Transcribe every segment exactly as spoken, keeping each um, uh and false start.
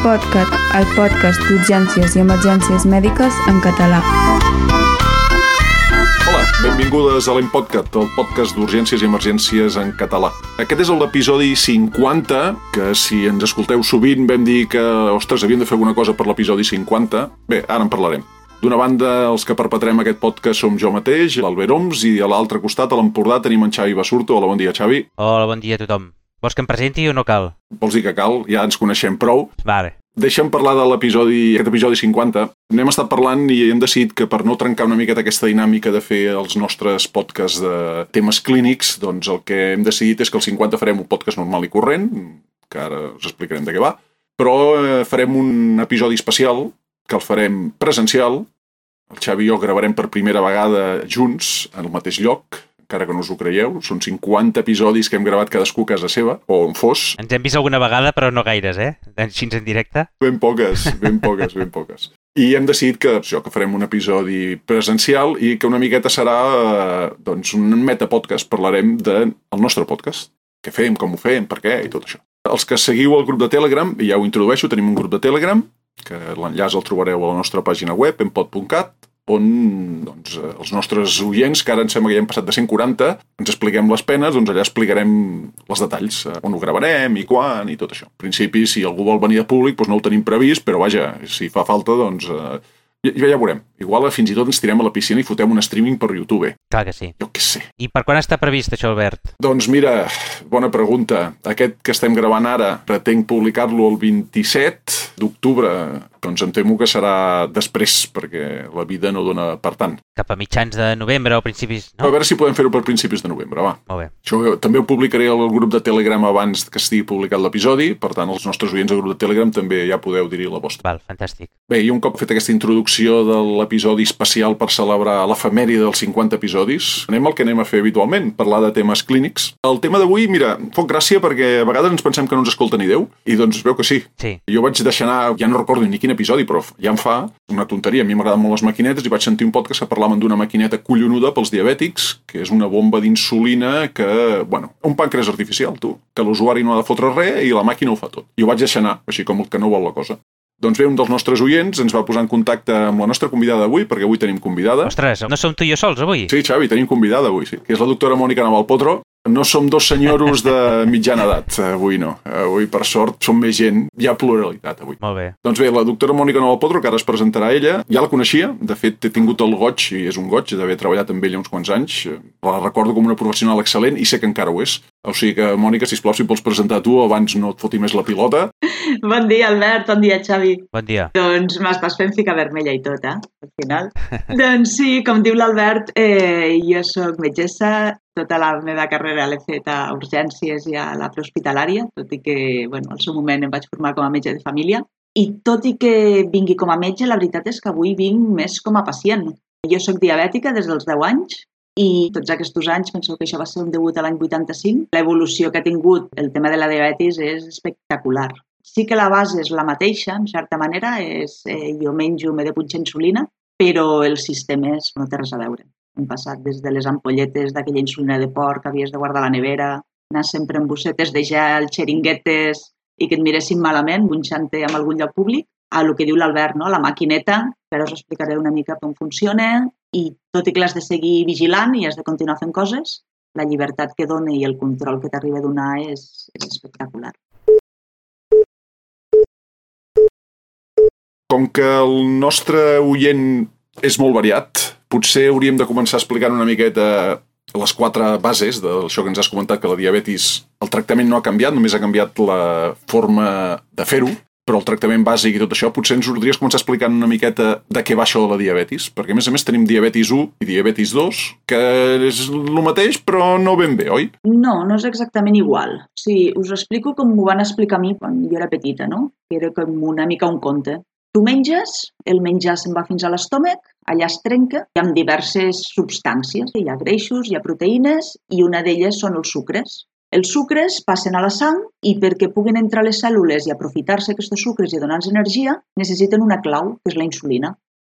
L'iPodcat, el podcast d'urgències i emergències mèdiques en català. Hola, benvingudes a l'L'iPodcat, el podcast d'urgències i emergències en català. Aquest és l'episodi cinquanta, que si ens escolteu sovint vam dir que, ostres, havíem de fer alguna cosa per l'episodi cinquanta. Bé, ara en parlarem. D'una banda, els que perpetrem aquest podcast som jo mateix, l'Albert Oms, i a l'altre costat, a l'Empordà, tenim en Xavi Basurto. Hola, bon dia, Xavi. Hola, bon dia a tothom. Vols que em presenti o no cal? Vols dir que cal? Ja ens coneixem prou. Vale. Deixa'm parlar de l'episodi, aquest episodi cinquanta. N'hem estat parlant i hem decidit que per no trencar una miqueta aquesta dinàmica de fer els nostres podcasts de temes clínics, doncs el que hem decidit és que el cinquanta farem un podcast normal i corrent, que ara us explicarem de què va, però eh, farem un episodi especial, que el farem presencial. El Xavi i jo gravarem per primera vegada junts, en el mateix lloc, encara que no us ho creieu. Són cinquanta episodis que hem gravat cadascú a casa seva, o on fos. Ens hem vist alguna vegada, però no gaires, eh? Així en directe. Ben poques, ben poques, ben poques. I hem decidit que, això, que farem un episodi presencial i que una miqueta serà eh, doncs un metapodcast. Parlarem del nostre podcast. Què fem, com ho fem, per què i tot això. Els que seguiu el grup de Telegram, ja ho introdueixo, tenim un grup de Telegram, que l'enllaç el trobareu a la nostra pàgina web, empod punt cat, on doncs, els nostres oients, que ara em sembla que ja hem passat de cent quaranta, ens expliquem les penes, doncs allà explicarem els detalls, on ho gravarem i quan i tot això. En principi, si algú vol venir de públic, doncs no ho tenim previst, però vaja, si fa falta, doncs eh, ja, ja veurem. Igual fins i tot ens tirem a la piscina i fotem un streaming per YouTube. Clar que sí. Jo què sé. I per quan està previst això, Albert? Doncs mira, bona pregunta. Aquest que estem gravant ara pretenc publicar-lo el vint-i-set d'octubre. Doncs em temo que serà després, perquè la vida no dona per tant. Cap a mitjans de novembre o principis, no? A veure si podem fer-ho per principis de novembre, va. Molt bé. Això també ho publicaré al grup de Telegram abans que estigui publicat l'episodi, per tant, els nostres oients del grup de Telegram també ja podeu dir-hi la vostra. Val, fantàstic. Bé, i un cop fet aquesta introducció de l'episodi especial per celebrar l'efemèride dels cinquanta episodis, anem al que anem a fer habitualment, parlar de temes clínics. El tema d'avui, mira, fot gràcia perquè a vegades ens pensem que no ens escolta ni Déu, i doncs veu que sí. Sí. Jo vaig deixar anar, ja no recordo ni quin episodi, però ja em fa una tonteria. A mi m'agraden molt les maquinetes i vaig sentir un podcast que parlaven d'una maquineta collonuda pels diabètics, que és una bomba d'insulina que, bueno, un pàncreas artificial, tu, que l'usuari no ha de fotre res i la màquina ho fa tot. I ho vaig deixar anar, així com el que no vol la cosa. Doncs bé, un dels nostres oients ens va posar en contacte amb la nostra convidada d'avui, perquè avui tenim convidada. Ostres, no som tu i jo sols avui? Sí, Xavi, tenim convidada avui, sí, que és la doctora Mònica Navalpotro. No som dos senyoros de mitjana edat, avui no. Avui, per sort, som més gent. Hi ha pluralitat, avui. Molt bé. Doncs bé, la doctora Mònica Navalpotro, que ara es presentarà ella, ja la coneixia. De fet, he tingut el goig, i és un goig, d'haver treballat amb ella uns quants anys. La recordo com una professional excel·lent i sé que encara ho és. O sigui que, Mònica, sisplau, si vols presentar tu, abans no et foti més la pilota. Bon dia, Albert. Bon dia, Xavi. Bon dia. Doncs m'estàs fent ficar vermella i tot, eh? Al final. Doncs sí, com diu l'Albert, eh, jo soc metgessa. Tota la meva carrera l'he fet a urgències i a la prehospitalària, tot i que, bueno, al seu moment em vaig formar com a metge de família. I tot i que vingui com a metge, la veritat és que avui vinc més com a pacient. Jo soc diabètica des dels deu anys i tots aquests anys, penso que això va ser un debut a l'any vuitanta-cinc, l'evolució que ha tingut el tema de la diabetis és espectacular. Sí que la base és la mateixa, en certa manera, és, eh, jo menjo, m'he de punxar insulina, però el sistema és, no té res a veure. Hem passat des de les ampolletes d'aquella insulina de porc que havies de guardar a la nevera, anar sempre en bossetes de gel, xeringuetes i que et miressin malament, bunxant-te en algun lloc públic, a el que diu l'Albert, no? La maquineta, però us explicaré una mica com funciona i tot i que l'has de seguir vigilant i has de continuar fent coses, la llibertat que dona i el control que t'arriba a donar és, és espectacular. Com que el nostre oient és molt variat, potser hauríem de començar explicant una miqueta les quatre bases d'això que ens has comentat, que la diabetis, el tractament no ha canviat, només ha canviat la forma de fer-ho, però el tractament bàsic i tot això, potser ens podries començar explicant una miqueta de què va això de la diabetis, perquè a més a més tenim diabetis u i diabetis dos, que és el mateix però no ben bé, oi? No, no és exactament igual. O sigui, us explico com m'ho van explicar a mi quan jo era petita, no? Que era com una mica un conte. Tu menges, el menjar se'n va fins a l'estómac, allà es trenca, hi ha diverses substàncies, hi ha greixos, hi ha proteïnes i una d'elles són els sucres. Els sucres passen a la sang i perquè puguin entrar a les cèl·lules i aprofitar-se aquests sucres i donar-nos energia, necessiten una clau, que és la insulina.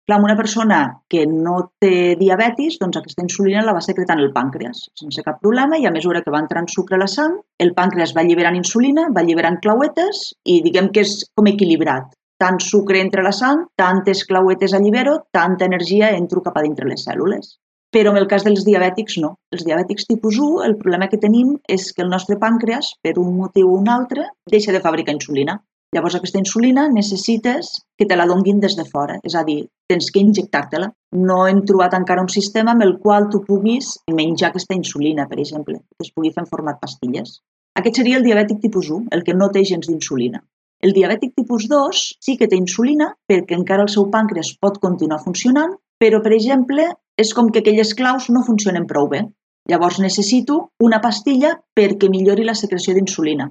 Clar, una persona que no té diabetis, doncs aquesta insulina la va secretant el pàncreas sense cap problema i a mesura que va entrant sucre a la sang, el pàncreas va alliberant insulina, va alliberant clauetes i diguem que és com equilibrat. Tant sucre entra a la sang, tantes clauetes allibero, tanta energia entro cap a dintre les cèl·lules. Però en el cas dels diabètics no. Els diabètics tipus u, el problema que tenim és que el nostre pàncreas, per un motiu o un altre, deixa de fabricar insulina. Llavors aquesta insulina necessites que te la donguin des de fora, és a dir, tens que injectar-te-la. No hem trobat encara un sistema amb el qual tu puguis menjar aquesta insulina, per exemple, que es pugui fer en format pastilles. Aquest seria el diabètic tipus u, el que no té gens d'insulina. El diabètic tipus dos sí que té insulina perquè encara el seu pàncreas pot continuar funcionant, però, per exemple, és com que aquelles claus no funcionen prou bé. Llavors necessito una pastilla perquè millori la secreció d'insulina.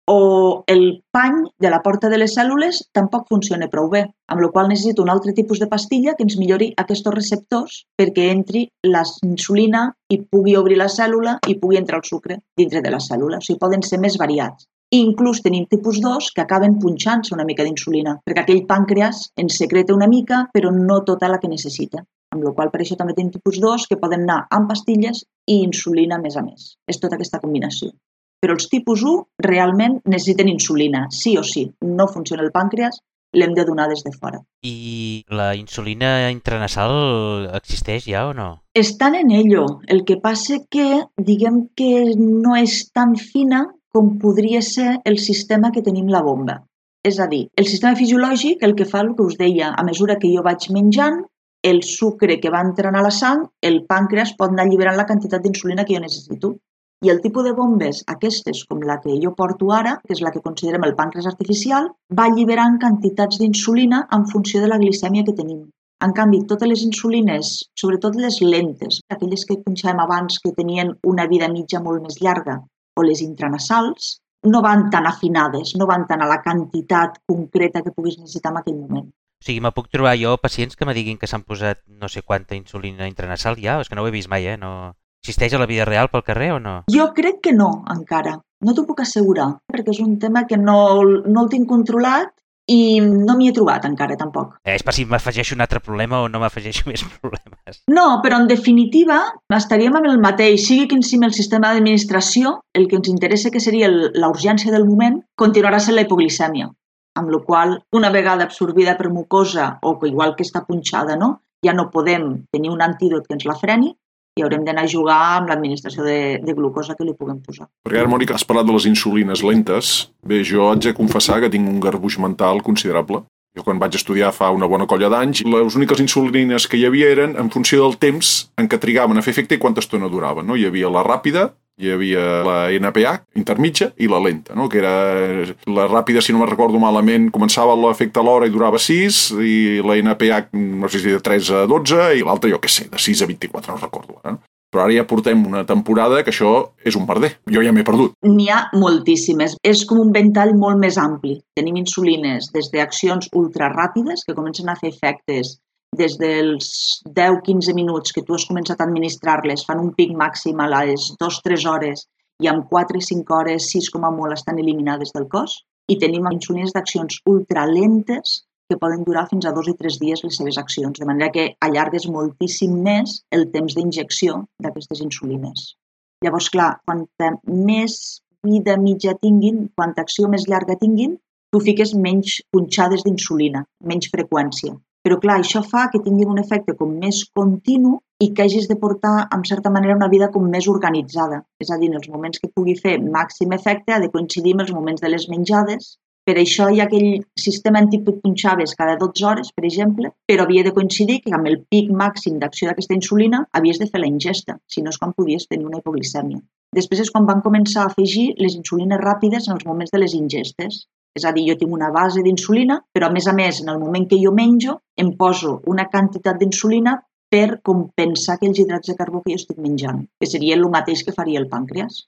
O el pany de la porta de les cèl·lules tampoc funciona prou bé, amb la qual cosa necessito un altre tipus de pastilla que ens millori aquests receptors perquè entri la insulina i pugui obrir la cèl·lula i pugui entrar el sucre dintre de la cèl·lula. O sigui, poden ser més variats. I inclús tenim tipus dos que acaben punxant-se una mica d'insulina, perquè aquell pàncreas ens secreta una mica, però no tota la que necessita. Amb la qual cosa per això també tenim tipus dos que poden anar amb pastilles i insulina més a més. És tota aquesta combinació. Però els tipus u realment necessiten insulina, sí o sí. No funciona el pàncreas, l'hem de donar des de fora. I la insulina intranasal existeix ja o no? Estan en ello. El que passa que, diguem que no és tan fina com podria ser el sistema que tenim la bomba. És a dir, el sistema fisiològic el que fa el que us deia, a mesura que jo vaig menjant, el sucre que va entrant a la sang, el pàncreas pot anar alliberant la quantitat d'insulina que jo necessito. I el tipus de bombes, aquestes com la que jo porto ara, que és la que considerem el pàncreas artificial, va alliberant quantitats d'insulina en funció de la glicèmia que tenim. En canvi, totes les insulines, sobretot les lentes, aquelles que punxàvem abans que tenien una vida mitja molt més llarga, o les intranasals, no van tan afinades, no van tan a la quantitat concreta que puguis necessitar en aquell moment. O sigui, me puc trobar jo pacients que me diguin que s'han posat no sé quanta insulina intranasal ja? És que no ho he vist mai, eh? No... Existeix a la vida real pel carrer o no? Jo crec que no, encara. No t'ho puc assegurar, perquè és un tema que no, no el tinc controlat i no m'hi he trobat encara, tampoc. Eh, és per si m'afegeixo un altre problema o no m'afegeixo més problemes. No, però en definitiva estaríem amb el mateix. Sigui quin sigui el sistema d'administració, el que ens interessa que seria la urgència del moment, continuarà sent la hipoglicèmia. Amb la qual cosa, una vegada absorbida per mucosa o que igual que està punxada, no? Ja no podem tenir un antídot que ens la freni i haurem d'anar a jugar amb l'administració de, de glucosa que li puguem posar. Perquè ara, Mònica, has parlat de les insulines lentes. Bé, jo haig de confessar que tinc un garbuix mental considerable. Jo quan vaig estudiar fa una bona colla d'anys, les úniques insulines que hi havia eren en funció del temps en què trigaven a fer efecte i quanta estona duraven. No? Hi havia la ràpida, hi havia la N P H, intermitja, i la lenta, no? Que era la ràpida, si no me'n recordo malament, començava l'efecte a l'hora i durava sis, i la N P H, no sé si de tres a dotze, i l'altra, jo què sé, de sis a vint-i-quatre, no recordo. Eh? Però ara ja portem una temporada que això és un merder. Jo ja m'he perdut. N'hi ha moltíssimes. És com un ventall molt més ampli. Tenim insulines des d'accions ultraràpides que comencen a fer efectes des dels deu a quinze minuts que tu has començat a administrar-les, fan un pic màxim a les dues a tres hores i en quatre a cinc hores, sis com a molt, estan eliminades del cos. I tenim insulines d'accions ultralentes que poden durar fins a dos i tres dies les seves accions, de manera que allargues moltíssim més el temps d'injecció d'aquestes insulines. Llavors, clar, quanta més vida mitja tinguin, quanta acció més llarga tinguin, tu fiques menys punxades d'insulina, menys freqüència. Però clar, això fa que tinguin un efecte com més continu i que hagis de portar, en certa manera, una vida com més organitzada. És a dir, en els moments que pugui fer màxim efecte ha de coincidir amb els moments de les menjades. Per això hi ha aquell sistema antic que punxaves cada dotze hores, per exemple, però havia de coincidir que amb el pic màxim d'acció d'aquesta insulina havies de fer la ingesta, si no és quan podies tenir una hipoglicèmia. Després és quan van començar a afegir les insulines ràpides en els moments de les ingestes. És a dir, jo tinc una base d'insulina, però a més a més, en el moment que jo menjo, em poso una quantitat d'insulina per compensar aquells hidrats de carbó que jo estic menjant, que seria el mateix que faria el pàncreas.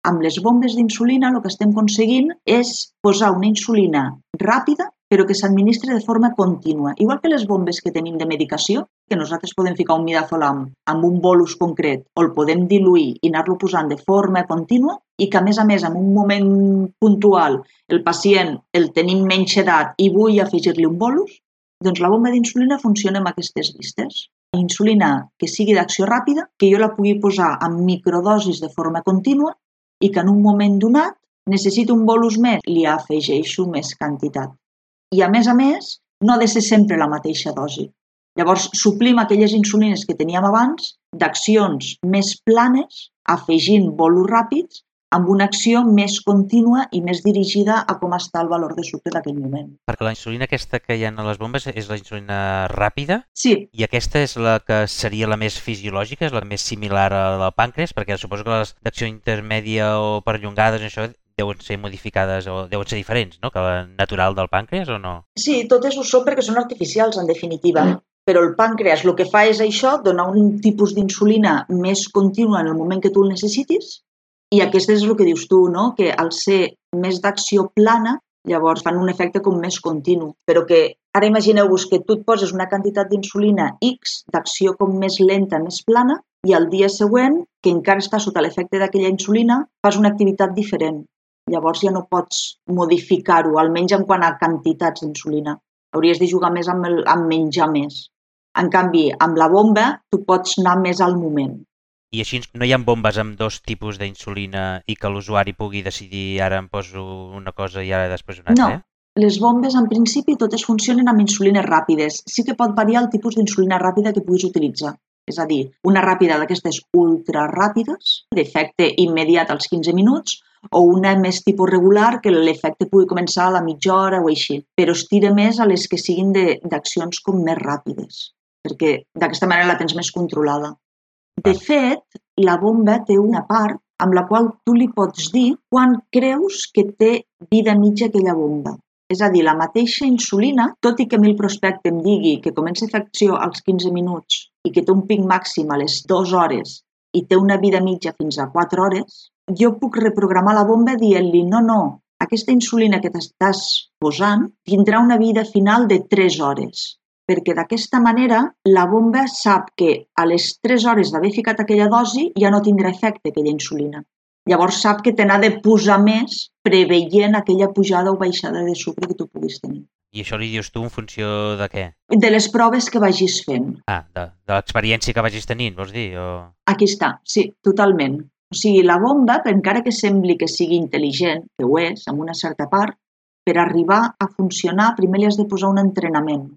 Amb les bombes d'insulina el que estem aconseguint és posar una insulina ràpida però que s'administra de forma contínua. Igual que les bombes que tenim de medicació, que nosaltres podem ficar un midazolam amb un bolus concret o el podem diluir i anar-lo posant de forma contínua i que a més a més en un moment puntual el pacient el tenim menys edat i vull afegir-li un bolus, Doncs la bomba d'insulina funciona amb aquestes llistes. Insulina que sigui d'acció ràpida, que jo la pugui posar en microdosis de forma contínua i que en un moment donat necessito un bolus més, li afegeixo més quantitat. I a més a més, no ha de ser sempre la mateixa dosi. Llavors, suplim aquelles insulines que teníem abans d'accions més planes, afegint bolus ràpids, amb una acció més contínua i més dirigida a com està el valor de sucre d'aquell moment. Perquè la insulina aquesta que hi ha a les bombes és la insulina ràpida? Sí. I aquesta és la que seria la més fisiològica, és la més similar a la del pàncreas? Perquè suposo que les d'acció intermèdia o perllongades, això deuen ser modificades o deuen ser diferents, no?, que la natural del pàncreas o no? Sí, totes ho són perquè són artificials, en definitiva. Mm. Però el pàncreas el que fa és això, donar un tipus d'insulina més contínua en el moment que tu el necessitis, i aquest és el que dius tu, no?, que al ser més d'acció plana, llavors fan un efecte com més continu. Però que ara imagineu-vos que tu et poses una quantitat d'insulina X d'acció com més lenta, més plana, i al dia següent, que encara està sota l'efecte d'aquella insulina, fas una activitat diferent. Llavors ja no pots modificar-ho, almenys en quant a quantitats d'insulina. Hauries de jugar més amb, el, amb menjar més. En canvi, amb la bomba, tu pots anar més al moment. I així no hi ha bombes amb dos tipus d'insulina i que l'usuari pugui decidir ara em poso una cosa i ara després una altra? No, les bombes en principi totes funcionen amb insulines ràpides. Sí que pot variar el tipus d'insulina ràpida que puguis utilitzar. És a dir, una ràpida d'aquestes ultra ràpides, d'efecte immediat als quinze minuts, o una més tipus regular que l'efecte pugui començar a la mitja hora o així. Però es tira més a les que siguin d'accions com més ràpides, perquè d'aquesta manera la tens més controlada. De fet, la bomba té una part amb la qual tu li pots dir quan creus que té vida mitja aquella bomba. És a dir, la mateixa insulina, tot i que a mi el prospecte em digui que comença a fer acció als quinze minuts i que té un pic màxim a les dues hores i té una vida mitja fins a quatre hores, jo puc reprogramar la bomba dient-li no, no, aquesta insulina que t'estàs posant tindrà una vida final de tres hores. Perquè d'aquesta manera la bomba sap que a les tres hores d'haver ficat aquella dosi ja no tindrà efecte aquella insulina. Llavors sap que te n'ha de posar més preveient aquella pujada o baixada de sucre que tu puguis tenir. I això li dius tu en funció de què? De les proves que vagis fent. Ah, de, de l'experiència que vagis tenint, vols dir? O... Aquí està, sí, totalment. O sigui, la bomba, encara que sembli que sigui intel·ligent, que ho és, en una certa part, per arribar a funcionar primer li has de posar un entrenament.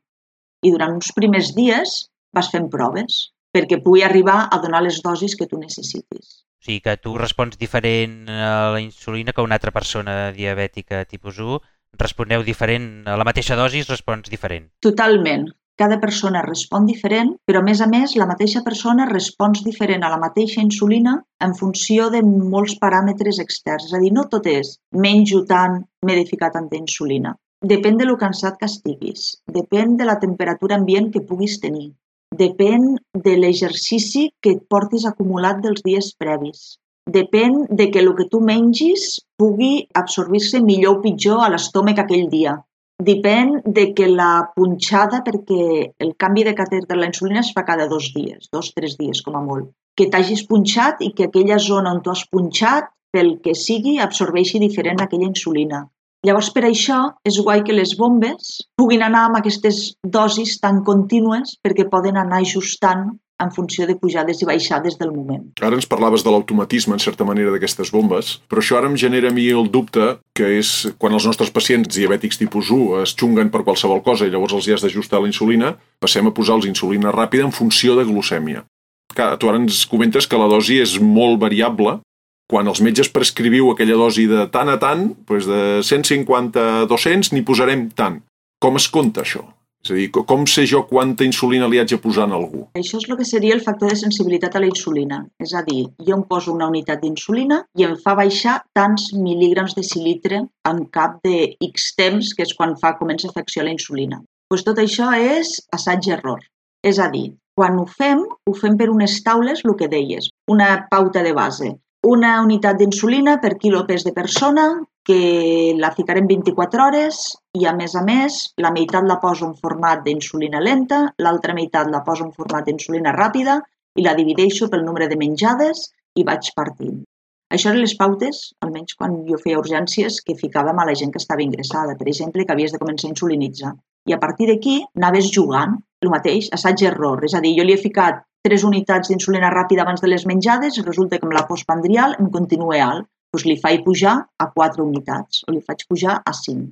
I durant uns primers dies vas fent proves perquè pugui arribar a donar les dosis que tu necessitis. O sigui que tu respons diferent a la insulina que una altra persona diabètica tipus u, responeu diferent, a la mateixa dosi respons diferent. Totalment. Cada persona respon diferent, però a més a més la mateixa persona respons diferent a la mateixa insulina en funció de molts paràmetres externs. És a dir, no tot és menjo tant, m'he de ficar tanta insulina. Depèn de lo cansat que estiguis, depèn de la temperatura ambient que puguis tenir, depèn de l'exercici que et portis acumulat dels dies previs, depèn de que el que tu mengis pugui absorbir-se millor o pitjor a l'estómac aquell dia, depèn de que la punxada, perquè el canvi de catè de la insulina es fa cada dos dies, dos, tres dies com a molt, que t'hagis punxat i que aquella zona on tu has punxat, pel que sigui, absorbeixi diferent aquella insulina. Llavors, per això, és guai que les bombes puguin anar amb aquestes dosis tan contínues perquè poden anar ajustant en funció de pujades i baixades del moment. Ara ens parlaves de l'automatisme, en certa manera, d'aquestes bombes, però això ara em genera a mi el dubte que és quan els nostres pacients diabètics tipus u es xunguen per qualsevol cosa i llavors els hi has d'ajustar la insulina, passem a posar-los insulina ràpida en funció de glucèmia. Clar, tu ara ens comentes que la dosi és molt variable. Quan els metges prescriviu aquella dosi de tant a tant, doncs de cent cinquanta a dos-cents n'hi posarem tant. Com es compta això? És a dir, com sé jo quanta insulina li haig de posar a algú? Això és el que seria el factor de sensibilitat a la insulina. És a dir, jo em poso una unitat d'insulina i em fa baixar tants mil·lígrams de decilitre en cap de X temps, que és quan fa comença a fer acció la insulina. Doncs tot això és assaig-error. És a dir, quan ho fem, ho fem per unes taules, el que deies, una pauta de base. Una unitat d'insulina per quilo pes de persona, que la ficarem vint-i-quatre hores i, a més a més, la meitat la poso en format d'insulina lenta, l'altra meitat la poso en format d'insulina ràpida i la divideixo pel nombre de menjades i vaig partint. Això eren les pautes, almenys quan jo feia urgències, que ficàvem a la gent que estava ingressada, per exemple, que havies de començar a insulinitzar. I a partir d'aquí anaves jugant, el mateix, assaig-error. És a dir, jo li he ficat tres unitats d'insulina ràpida abans de les menjades i resulta que amb la postprandial em continua alt. Doncs li faig pujar a quatre unitats o li faig pujar a cinc.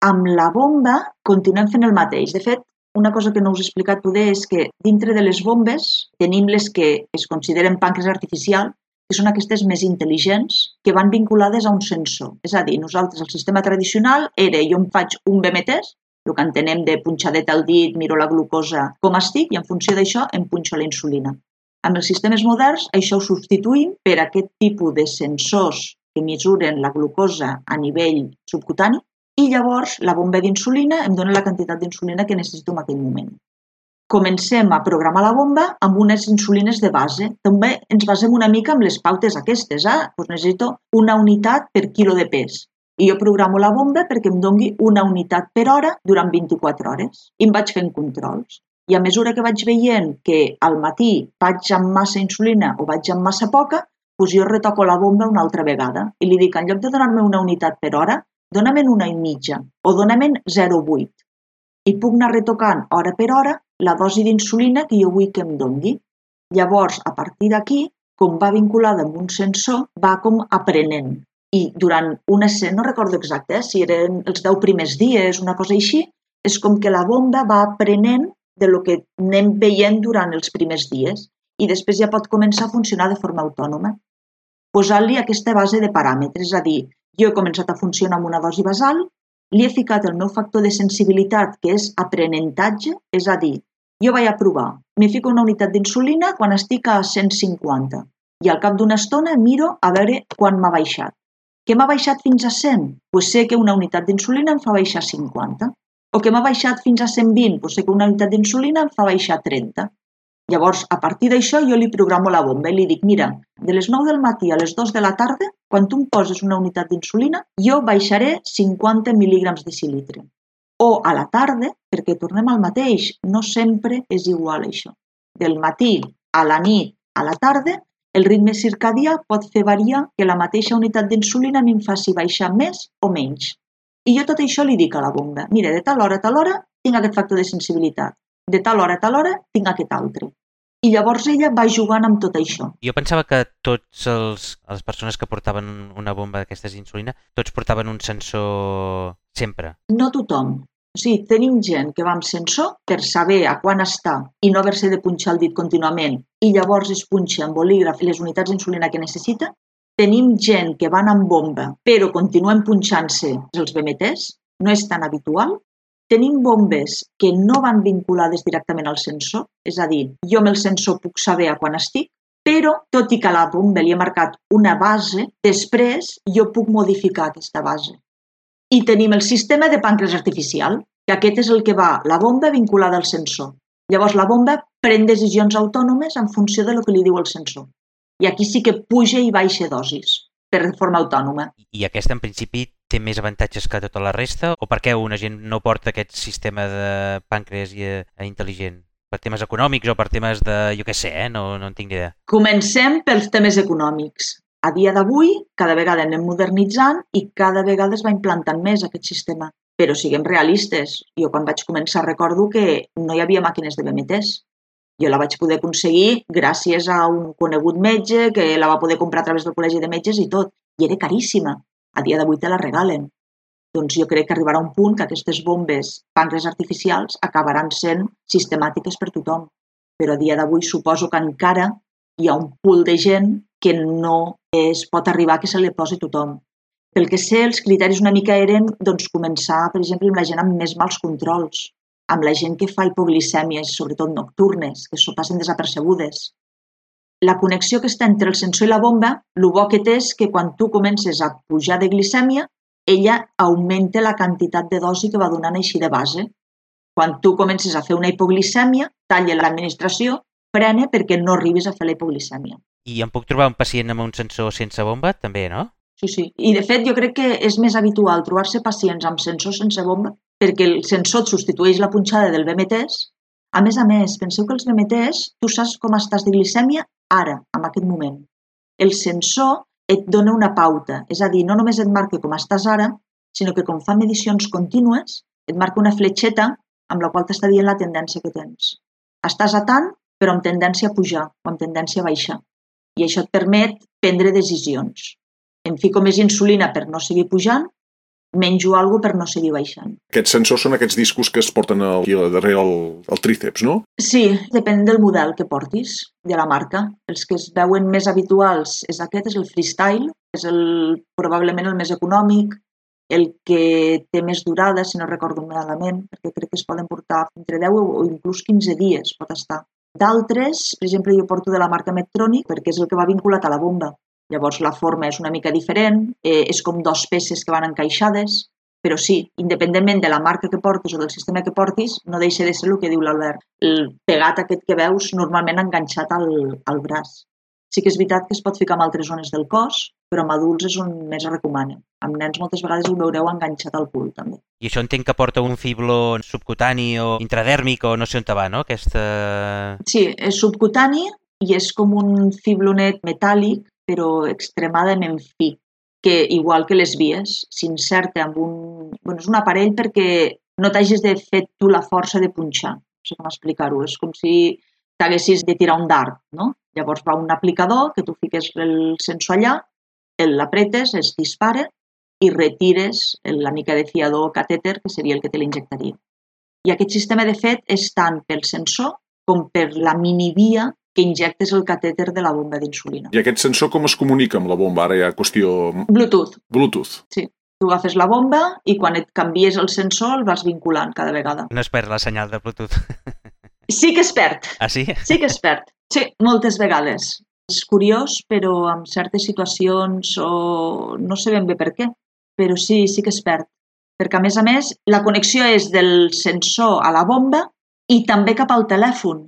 Amb la bomba continuem fent el mateix. De fet, una cosa que no us he explicat poder és que dintre de les bombes tenim les que es consideren pàncreas artificial, que són aquestes més intel·ligents, que van vinculades a un sensor. És a dir, nosaltres, el sistema tradicional era, jo em faig un B M Ts, el que entenem de punxadeta al dit, miro la glucosa com estic i en funció d'això em punxo la insulina. Amb els sistemes moderns això ho substituïm per aquest tipus de sensors que mesuren la glucosa a nivell subcutani i llavors la bomba d'insulina em dona la quantitat d'insulina que necessito en aquell moment. Comencem a programar la bomba amb unes insulines de base. També ens basem una mica amb les pautes aquestes. Eh? Doncs necessito una unitat per quilo de pes. I jo programo la bomba perquè em doni una unitat per hora durant vint-i-quatre hores. I em vaig fent controls. I a mesura que vaig veient que al matí vaig amb massa insulina o vaig amb massa poca, doncs jo retoco la bomba una altra vegada. I li dic, en lloc de donar-me una unitat per hora, dóna-me'n una i mitja o dóna-me'n zero coma vuit. I puc anar retocant hora per hora la dosi d'insulina que jo vull que em doni. Llavors, a partir d'aquí, com va vinculada amb un sensor, va com aprenent. I durant una escena, no recordo exacte, eh, si eren els deu primers dies, una cosa així, és com que la bomba va aprenent de lo que anem veient durant els primers dies i després ja pot començar a funcionar de forma autònoma. Posant-li aquesta base de paràmetres, és a dir, jo he començat a funcionar amb una dosi basal, li he ficat el meu factor de sensibilitat, que és aprenentatge, és a dir, jo vaig a provar, m'hi fico una unitat d'insulina quan estic a cent cinquanta i al cap d'una estona miro a veure quan m'ha baixat. Que m'ha baixat fins a cent? Doncs sé que una unitat d'insulina em fa baixar a cinquanta. O que m'ha baixat fins a cent vint? Doncs sé que una unitat d'insulina em fa baixar a trenta. Llavors, a partir d'això, jo li programo la bomba i li dic, mira, de les nou del matí a les dues de la tarda, quan tu em poses una unitat d'insulina, jo baixaré cinquanta mil·lígrams de decilitre. O a la tarda, perquè tornem al mateix, no sempre és igual això. Del matí a la nit a la tarda, el ritme circadià pot fer variar que la mateixa unitat d'insulina em faci baixar més o menys. I jo tot això li dic a la bomba. Mira, de tal hora a tal hora tinc aquest factor de sensibilitat. De tal hora a tal hora tinc aquest altre. I llavors ella va jugant amb tot això. Jo pensava que tots els, les persones que portaven una bomba d'aquestes d'insulina, tots portaven un sensor sempre. No tothom. O sigui, tenim gent que va amb sensor per saber a quan està i no haver-se de punxar el dit contínuament i llavors es punxa amb bolígraf les unitats d'insulina que necessita. Tenim gent que van amb bomba però continuen punxant-se els B M Ts, no és tan habitual. Tenim bombes que no van vinculades directament al sensor, és a dir, jo amb el sensor puc saber a quan estic, però tot i que a la bomba li he marcat una base, després jo puc modificar aquesta base. I tenim el sistema de pàncreas artificial, que aquest és el que va, la bomba vinculada al sensor. Llavors la bomba pren decisions autònomes en funció de lo que li diu el sensor. I aquí sí que puja i baixa dosis, per forma autònoma. I aquesta en principi té més avantatges que tota la resta? O per què una gent no porta aquest sistema de pàncreas intel·ligent? Per temes econòmics o per temes de, jo què sé, eh? no, no en tinc ni idea. Comencem pels temes econòmics. A dia d'avui, cada vegada anem modernitzant i cada vegada es va implantant més aquest sistema. Però siguem realistes. Jo quan vaig començar recordo que no hi havia màquines de B M Ts. Jo la vaig poder aconseguir gràcies a un conegut metge que la va poder comprar a través del col·legi de metges i tot. I era caríssima. A dia d'avui te la regalen. Doncs jo crec que arribarà un punt que aquestes bombes pàncreas artificials acabaran sent sistemàtiques per tothom. Però a dia d'avui suposo que encara hi ha un pool de gent que no es pot arribar a que se li posi tothom. Pel que sé, els criteris una mica eren doncs, començar, per exemple, amb la gent amb més mals controls, amb la gent que fa hipoglicèmies, sobretot nocturnes, que s'ho passen desapercebudes. La connexió que està entre el sensor i la bomba, el bo que té és que quan tu comences a pujar de glicèmia, ella augmenta la quantitat de dosi que va donant així de base. Quan tu comences a fer una hipoglicèmia, talla l'administració, frena perquè no arribis a fer la hipoglicèmia. I em puc trobar un pacient amb un sensor sense bomba, també, no? Sí, sí. I de fet jo crec que és més habitual trobar-se pacients amb sensor sense bomba perquè el sensor et substitueix la punxada del B M Ts. A més a més, penseu que els B M Ts, tu saps com estàs de glicèmia ara, en aquest moment. El sensor et dona una pauta, és a dir, no només et marca com estàs ara, sinó que com fa medicions contínues, et marca una fletxeta amb la qual t'està dient la tendència que tens. Estàs a tant, però amb tendència a pujar o amb tendència a baixar. I això et permet prendre decisions. Em fico més insulina per no seguir pujant, menjo alguna cosa per no seguir baixant. Aquests sensors són aquests discos que es porten aquí darrere el, el tríceps, no? Sí, depèn del model que portis, de la marca. Els que es veuen més habituals és aquest, és el Freestyle, és el, probablement el més econòmic, el que té més durada, si no recordo malament, perquè crec que es poden portar entre deu o inclús quinze dies, pot estar. D'altres, per exemple, jo porto de la marca Medtronic perquè és el que va vinculat a la bomba. Llavors la forma és una mica diferent, eh, és com dos peces que van encaixades, però sí, independentment de la marca que portis o del sistema que portis, no deixa de ser el que diu l'Albert. El pegat aquest que veus normalment enganxat al, al braç. Sí que és veritat que es pot ficar en altres zones del cos, però amb adults és on més es recomana. Amb nens moltes vegades ho veureu enganxat al cul, també. I això entenc que porta un fibló subcutani o intradèrmic o no sé on te va, no? Aquesta... Sí, és subcutani i és com un fiblonet metàl·lic, però extremadament fi, que igual que les vies, s'inserta amb un... Bueno, és un aparell perquè no t'hagis de fer tu la força de punxar. No sé com explicar-ho. És com si t'haguessis de tirar un dard, no? Llavors va un aplicador que tu fiques el sensor allà, l'apretes, es dispara i retires la mica de fiador o catèter, que seria el que te l'injectaria. I aquest sistema, de fet, és tant pel sensor com per la minivia que injectes el catèter de la bomba d'insulina. I aquest sensor com es comunica amb la bomba? Ara hi ha qüestió... Bluetooth. Bluetooth. Sí. Tu agafes la bomba i quan et canvies el sensor el vas vinculant cada vegada. No es perd la senyal de Bluetooth. Sí que es perd. Ah, sí? Sí que es perd. Sí, moltes vegades. És curiós, però en certes situacions o no sé ben bé per què, però sí, sí que es perd. Perquè, a més a més, la connexió és del sensor a la bomba i també cap al telèfon,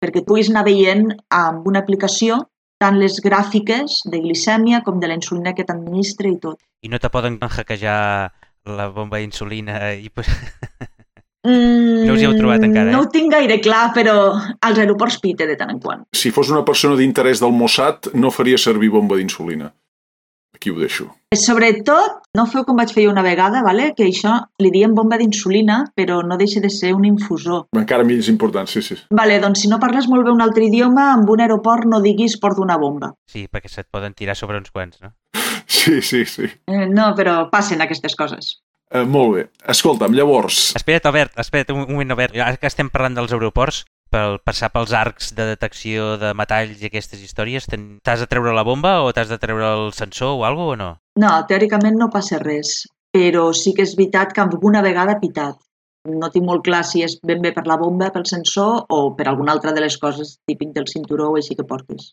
perquè puguis anar veient amb una aplicació tant les gràfiques de glicèmia com de la insulina que t'administra i tot. I no te poden hackejar la bomba d'insulina i... Mm, no us hi heu trobat encara, eh? No ho tinc gaire clar, però als aeroports pite de tant en quant. Si fos una persona d'interès del Mossad, no faria servir bomba d'insulina. Aquí ho deixo. Sobretot, no feu com vaig fer jo una vegada, vale? Que això li diem bomba d'insulina, però no deixa de ser un infusor. Encara més important, sí, sí. Vale, doncs si no parles molt bé un altre idioma, amb un aeroport no diguis porto una bomba. Sí, perquè se't poden tirar sobre uns quants, no? Sí, sí, sí. Eh, no, però passen aquestes coses. Uh, molt bé. Escolta'm, llavors... Espera't, Albert, espera't un moment, Albert. Ara que estem parlant dels aeroports, per passar pels arcs de detecció de metalls i aquestes històries, t'has de treure la bomba o t'has de treure el sensor o alguna cosa o no? No, teòricament no passa res, però sí que és veritat que alguna vegada ha pitat. No tinc molt clar si és ben bé per la bomba, pel sensor o per alguna altra de les coses típic del cinturó o així que portis.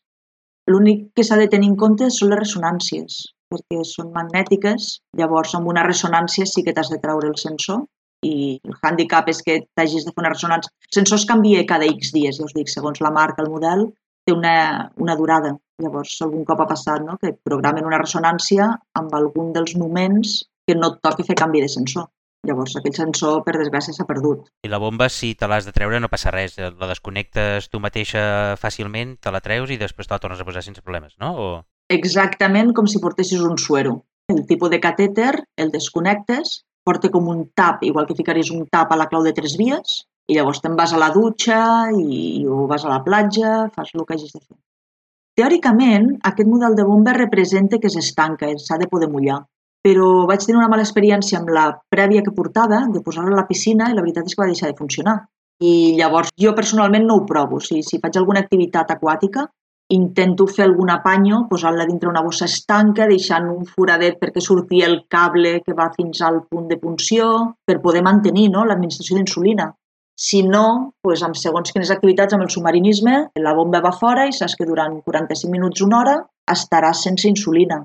L'únic que s'ha de tenir en compte són les ressonàncies, perquè són magnètiques, llavors amb una ressonància sí que t'has de treure el sensor i el hàndicap és que t'hagis de fer una ressonància. El sensor es canvia cada X dies, ja us dic, segons la marca, el model, té una, una durada. Llavors, algun cop ha passat, no?, que programen una ressonància amb algun dels moments que no et toqui fer canvi de sensor. Llavors, aquell sensor, per desgràcia, s'ha perdut. I la bomba, si te l'has de treure, no passa res. La desconnectes tu mateixa fàcilment, te la treus i després te la tornes a posar sense problemes, no? O... Exactament com si portessis un suero. El tipus de catèter el desconnectes, porta com un tap, igual que ficaries un tap a la clau de tres vies, i llavors te'n vas a la dutxa i, o vas a la platja, fas el que hagis de fer. Teòricament, aquest model de bomba representa que s'estanca, s'ha de poder mullar. Però vaig tenir una mala experiència amb la prèvia que portava, de posar-la a la piscina, i la veritat és que va deixar de funcionar. I llavors jo personalment no ho provo. O sigui, si faig alguna activitat aquàtica, intento fer algun apanyo, posant-la dintre una bossa estanca, deixant un foradet perquè surti el cable que va fins al punt de punció, per poder mantenir, no?, l'administració d'insulina. Si no, doncs amb segons quines activitats amb el submarinisme, la bomba va fora i saps que durant quaranta-cinc minuts, una hora, estaràs sense insulina.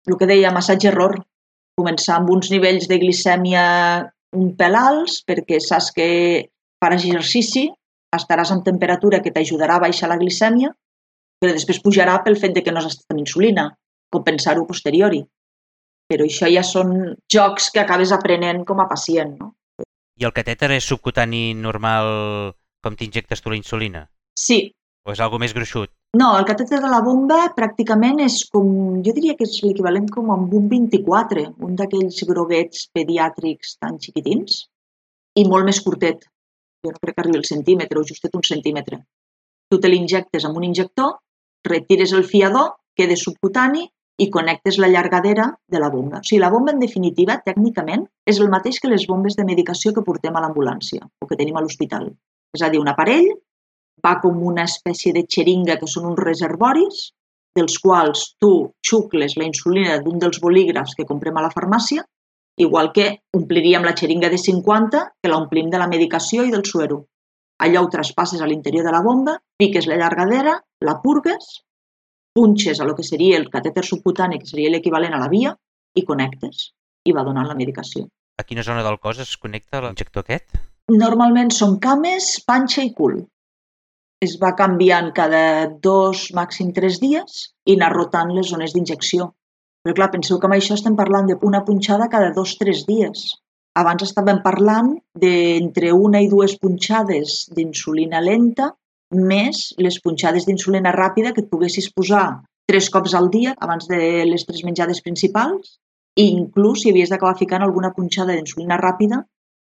El que deia, massatge-error. Començar amb uns nivells de glicèmia un pèl alts, perquè saps que faràs exercici, estaràs amb temperatura que t'ajudarà a baixar la glicèmia, però després pujarà pel fet de que no has estat amb insulina, compensar-ho a posteriori. Però això ja són jocs que acabes aprenent com a pacient, no? I el catèter és subcutani normal com t'injectes tu la insulina? Sí. O és algo més gruixut? No, el catèter de la bomba pràcticament és com, jo diria que és l'equivalent com amb un vint-i-quatre, un d'aquells groguets pediàtrics tan xiquitins, i molt més curtet. jo no crec que arribi al centímetre o justet un centímetre. Tu te l'injectes amb un injector, retires el fiador, queda subcutani i connectes la llargadera de la bomba. O sigui, la bomba, en definitiva, tècnicament, és el mateix que les bombes de medicació que portem a l'ambulància o que tenim a l'hospital. És a dir, un aparell va com una espècie de xeringa que són uns reservoris dels quals tu xucles la insulina d'un dels bolígrafs que comprem a la farmàcia, igual que ompliríem la xeringa de cinquanta que l'omplim de la medicació i del suero. Allò ho traspasses a l'interior de la bomba, piques la llargadera, la purgues, punxes a lo que seria el catèter subcutani, que seria l'equivalent a la via, i connectes. I va donant la medicació. A quina zona del cos es connecta l'injector aquest? Normalment són cames, panxa i cul. Es va canviant cada dos, màxim tres dies i anar rotant les zones d'injecció. Però clar, penseu que amb això estem parlant d'una punxada cada dos, tres dies. Abans estàvem parlant d'entre una i dues punxades d'insulina lenta més les punxades d'insulina ràpida que et poguessis posar tres cops al dia abans de les tres menjades principals i inclús si havies d'acabar ficant alguna punxada d'insulina ràpida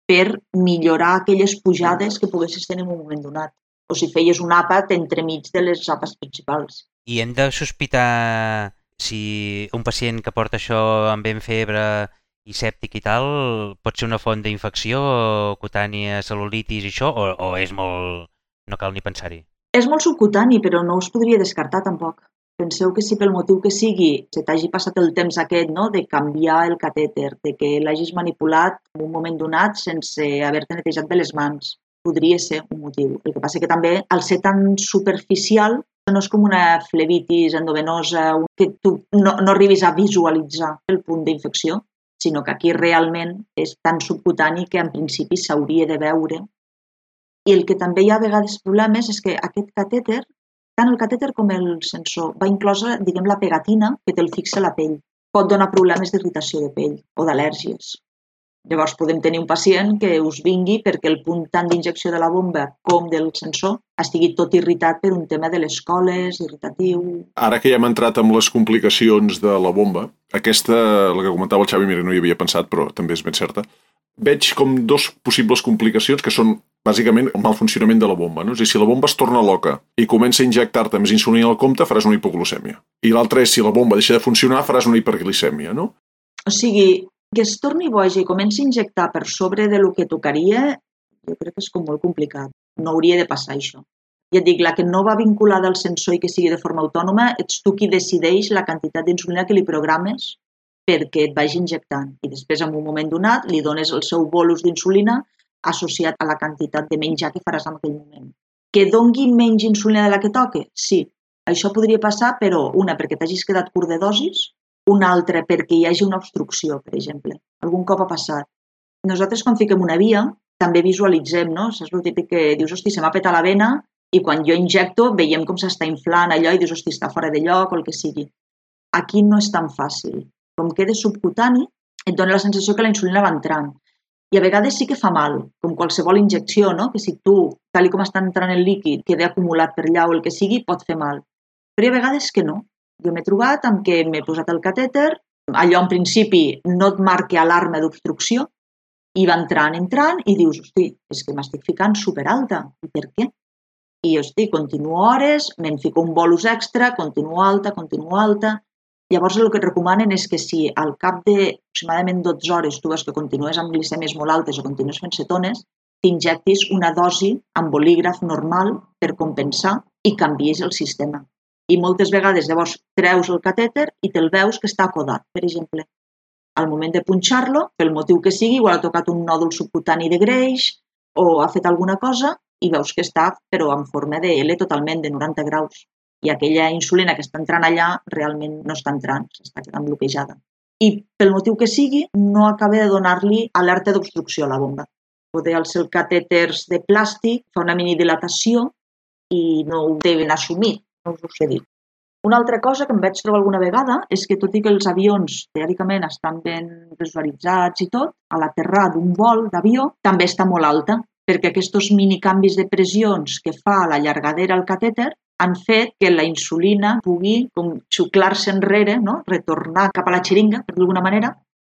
per millorar aquelles pujades que poguessis tenir en un moment donat. O si feies un àpat entremig de les àpats principals. I hem de sospitar si un pacient que porta això amb ben febre i sèptic i tal pot ser una font d'infecció cutània, cel·lulitis i això, o, o és molt... no cal ni pensar-hi? És molt subcutani, però no us podria descartar tampoc. Penseu que si pel motiu que sigui se t'hagi passat el temps aquest, no?, de canviar el catèter, de que l'hagis manipulat en un moment donat sense haver-te netejat bé les mans, podria ser un motiu. El que passa que també, al ser tan superficial, no és com una flebitis endovenosa que tu no, no arribis a visualitzar el punt d'infecció, sinó que aquí realment és tan subcutani que en principi s'hauria de veure. I el que també hi ha a vegades problemes és que aquest catèter, tant el catèter com el sensor, va inclosa, diguem, la pegatina que te'l fixa a la pell. Pot donar problemes d'irritació de pell o d'al·lèrgies. Llavors podem tenir un pacient que us vingui perquè el punt tant d'injecció de la bomba com del sensor estigui tot irritat per un tema de les coles, irritatiu... Ara que ja hem entrat amb les complicacions de la bomba, aquesta, la que comentava el Xavi, mira, no hi havia pensat, però també és ben certa, veig com dos possibles complicacions que són bàsicament el mal funcionament de la bomba. No? És a dir, si la bomba es torna loca i comença a injectar-te més insulina al compte, faràs una hipoglucèmia. I l'altre és, si la bomba deixa de funcionar, faràs una hiperglicèmia, no? O sigui, que es torni boja i comenci a injectar per sobre de lo que tocaria, jo crec que és com molt complicat. No hauria de passar això. Ja et dic, la que no va vinculada al sensor i que sigui de forma autònoma, ets tu qui decideix la quantitat d'insulina que li programes perquè et vagi injectant. I després, en un moment donat, li dones el seu bolus d'insulina associat a la quantitat de menjar que faràs en aquell moment. Que dongui menys insulina de la que toque? Sí. Això podria passar, però una, perquè t'hagis quedat curt de dosis, una altra, perquè hi hagi una obstrucció, per exemple. Algun cop ha passat. Nosaltres, quan fiquem una via, també visualitzem, no? Saps el típic que dius, hosti, se m'ha petat la vena, i quan jo injecto veiem com s'està inflant allò i dius, hosti, està fora de lloc o el que sigui. Aquí no és tan fàcil. Com queda subcutani, et dona la sensació que la insulina va entrant. I a vegades sí que fa mal, com qualsevol injecció, no? Que si tu, tal com està entrant el líquid, queda acumulat per allà o el que sigui, pot fer mal. Però hi ha vegades que no. Jo m'he trobat amb que m'he posat el catèter, allò en principi no et marca alarma d'obstrucció, i va entrant, entrant, i dius, hosti, és que m'estic ficant superalta. I per què? I, hosti, continuo hores, me'n fico un bolus extra, continuo alta, continuo alta. Llavors el que et recomanen és que si al cap de aproximadament dotze hores tu veus que continues amb glicèmies molt altes o continues fent cetones, t'injectis una dosi amb bolígraf normal per compensar i canvies el sistema. I moltes vegades llavors treus el catèter i te'l veus que està acodat, per exemple. Al moment de punxar-lo, pel motiu que sigui, igual ha tocat un nòdul subcutani de greix o ha fet alguna cosa i veus que està, però en forma de L totalment, de noranta graus. I aquella insulina que està entrant allà realment no està entrant, s'està quedant bloquejada. I pel motiu que sigui, no acaba de donar-li alerta d'obstrucció a la bomba. Poder els catèters de plàstic fa una minidilatació i no ho deuen assumir, no us ho sé dir. Una altra cosa que em vaig trobar alguna vegada és que, tot i que els avions teòricament estan ben visualitzats i tot, a l'aterrar d'un vol d'avió també està molt alta, perquè aquests minicanvis de pressions que fa la llargadera al catèter han fet que la insulina pugui com xuclar-se enrere, no? Retornar cap a la xeringa, per d'alguna manera,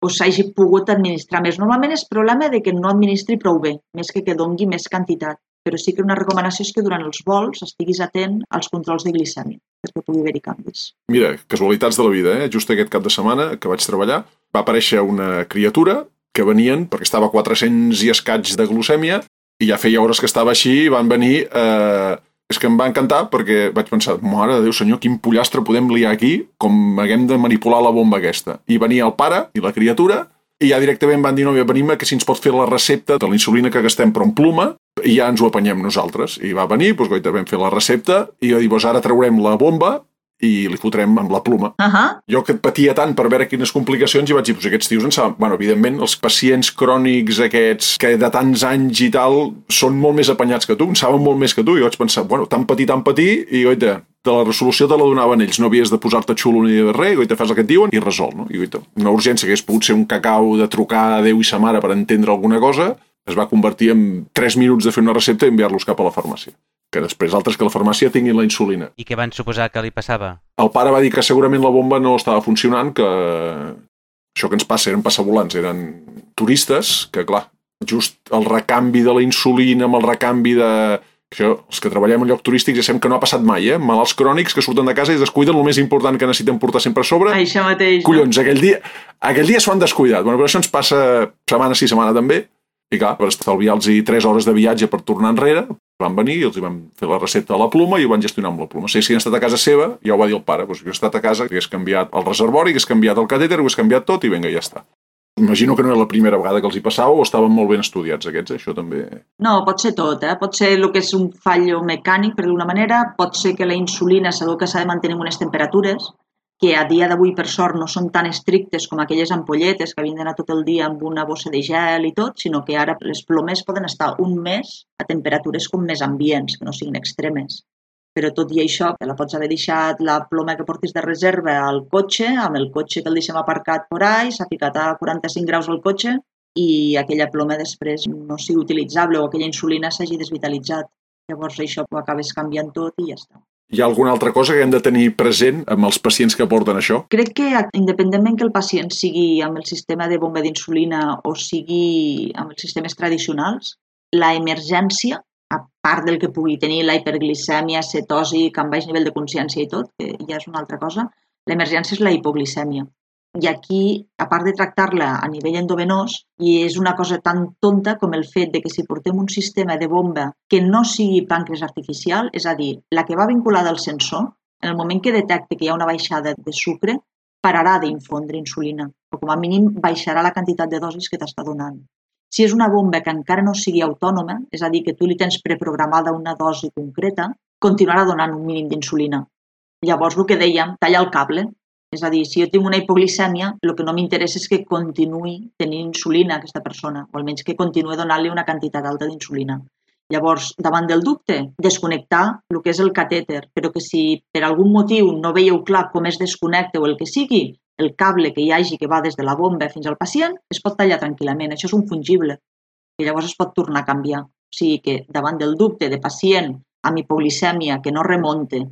doncs s'hagi pogut administrar més. Normalment és problema de que no administri prou bé, més que que dongui més quantitat. Però sí que una recomanació és que durant els vols estiguis atent als controls de glicèmia, perquè pugui haver-hi canvis. Mira, casualitats de la vida, eh? Just aquest cap de setmana que vaig treballar, va aparèixer una criatura que venien, perquè estava a quatre-cents i escaig de glucèmia, i ja feia hores que estava així, i van venir... Eh... És que em va encantar perquè vaig pensar, mare de Déu senyor, quin pollastre podem liar aquí, com haguem de manipular la bomba aquesta. I venia el pare i la criatura, i ja directament van dir, no, venim que si ens pot fer la recepta de la insulina que gastem però en pluma, i ja ens ho apanyem nosaltres. I va venir, doncs goita, vam fer la recepta, i va dir, doncs ara traurem la bomba i li fotrem amb la pluma. Uh -huh. Jo que et patia tant per veure quines complicacions i vaig dir, doncs aquests tios en saben. Bueno, evidentment, els pacients crònics aquests que de tants anys i tal són molt més apanyats que tu, en saben molt més que tu. I vaig pensar, bueno, tan petit, tan petit, i goita, de la resolució te la donaven ells, no havies de posar-te xulo ni de res, i goita, fas el que et diuen i resol, no? I goita, una urgència que hagués pogut ser un cacau de trucar a Déu i sa mare per entendre alguna cosa, es va convertir en tres minuts de fer una recepta i enviar-los cap a la farmàcia. Que després altres que a la farmàcia tinguin la insulina. I què van suposar que li passava? El pare va dir que segurament la bomba no estava funcionant, que això que ens passa eren passavolants, eren turistes, que clar, just el recanvi de la insulina amb el recanvi de... Això, els que treballem en lloc turístic ja sabem que no ha passat mai, eh? Malalts crònics que surten de casa i descuiden el més important que necessiten portar sempre a sobre. Això mateix. Collons, aquell dia, aquell dia s'ho han descuidat. Bueno, però això ens passa setmana sí, setmana també. I clar, per estalviar-los tres hores de viatge per tornar enrere, van venir i els van fer la recepta a la pluma i ho van gestionar amb la pluma. Si haguessin estat a casa seva, ja ho va dir el pare, doncs jo he estat a casa, que hagués canviat el reservori, que hagués canviat el catèter, ho hagués canviat tot i vinga, ja està. Imagino que no era la primera vegada que els hi passava o estaven molt ben estudiats aquests, eh? Això també... No, pot ser tot, eh? Pot ser el que és un fallo mecànic, per d'una manera, pot ser que la insulina sabeu que s'ha de mantenir en unes temperatures que a dia d'avui, per sort, no són tan estrictes com aquelles ampolletes que havien d'anar tot el dia amb una bossa de gel i tot, sinó que ara les plomes poden estar un mes a temperatures com més ambients, que no siguin extremes. Però tot i això, que la pots haver deixat la ploma que portis de reserva al cotxe, amb el cotxe que el deixem aparcat por ahí, s'ha ficat a quaranta-cinc graus al cotxe i aquella ploma després no sigui utilitzable o aquella insulina s'hagi desvitalitzat. Llavors això ho acabes canviant tot i ja està. Hi ha alguna altra cosa que hem de tenir present amb els pacients que porten això? Crec que, independentment que el pacient sigui amb el sistema de bomba d'insulina o sigui amb els sistemes tradicionals, la emergència, a part del que pugui tenir la hiperglicèmia, cetosi, amb baix nivell de consciència i tot, que ja és una altra cosa, l'emergència és la hipoglicèmia. I aquí, a part de tractar-la a nivell endovenós, i és una cosa tan tonta com el fet de que si portem un sistema de bomba que no sigui pàncreas artificial, és a dir, la que va vinculada al sensor, en el moment que detecte que hi ha una baixada de sucre, pararà d'infondre insulina, o com a mínim baixarà la quantitat de dosis que t'està donant. Si és una bomba que encara no sigui autònoma, és a dir, que tu li tens preprogramada una dosi concreta, continuarà donant un mínim d'insulina. Llavors, el que dèiem, talla el cable. És a dir, si jo tinc una hipoglicèmia, el que no m'interessa és que continuï tenint insulina a aquesta persona, o almenys que continuï donant-li una quantitat alta d'insulina. Llavors, davant del dubte, desconnectar el que és el catèter, però que si per algun motiu no veieu clar com es desconnecta o el que sigui, el cable que hi hagi que va des de la bomba fins al pacient es pot tallar tranquil·lament. Això és un fungible, i llavors es pot tornar a canviar. O sigui que davant del dubte de pacient amb hipoglicèmia que no remonte,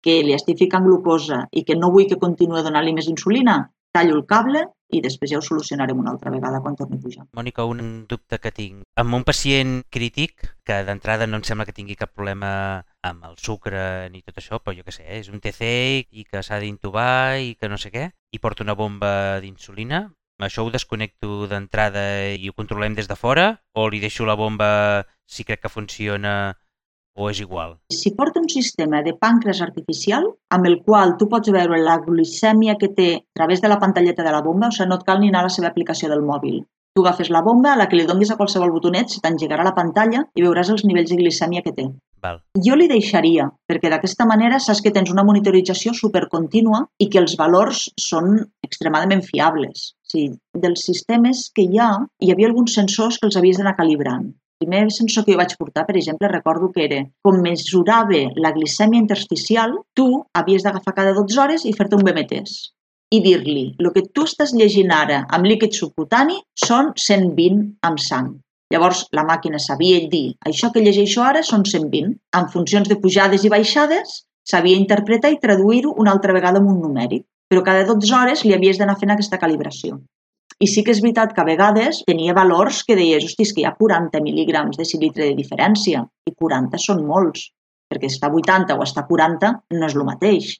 que li estic ficant glucosa i que no vull que continuï donant-li més insulina, tallo el cable i després ja ho solucionarem una altra vegada quan torni a pujar. Mònica, un dubte que tinc. Amb un pacient crític, que d'entrada no em sembla que tingui cap problema amb el sucre ni tot això, però jo què sé, és un T C i que s'ha d'intubar i que no sé què, i porta una bomba d'insulina, això ho desconnecto d'entrada i ho controlem des de fora, o li deixo la bomba si crec que funciona o és igual? Si porta un sistema de pàncreas artificial amb el qual tu pots veure la glicèmia que té a través de la pantalleta de la bomba, o sigui, no et cal ni anar a la seva aplicació del mòbil. Tu agafes la bomba, a la que li donis a qualsevol botonet, se t'engegarà la pantalla i veuràs els nivells de glicèmia que té. Val. Jo li deixaria, perquè d'aquesta manera saps que tens una monitorització supercontínua i que els valors són extremadament fiables. O sigui, dels sistemes que hi ha, hi havia alguns sensors que els havies d'anar calibrant. El primer sensor que jo vaig portar, per exemple, recordo que era com mesurava la glicèmia intersticial, tu havies d'agafar cada dotze hores i fer-te un B M Ts i dir-li, el que tu estàs llegint ara amb líquid subcutani són cent vint amb sang. Llavors, la màquina sabia dir, això que llegeixo ara són cent vint. En funcions de pujades i baixades, sabia interpretar i traduir-ho una altra vegada en un numèric. Però cada dotze hores li havies d'anar fent aquesta calibració. I sí que és veritat que a vegades tenia valors que deies, hosti, és que hi ha quaranta mil·lígrams de decilitre de diferència, i quaranta són molts, perquè estar a vuitanta o estar a quaranta no és el mateix.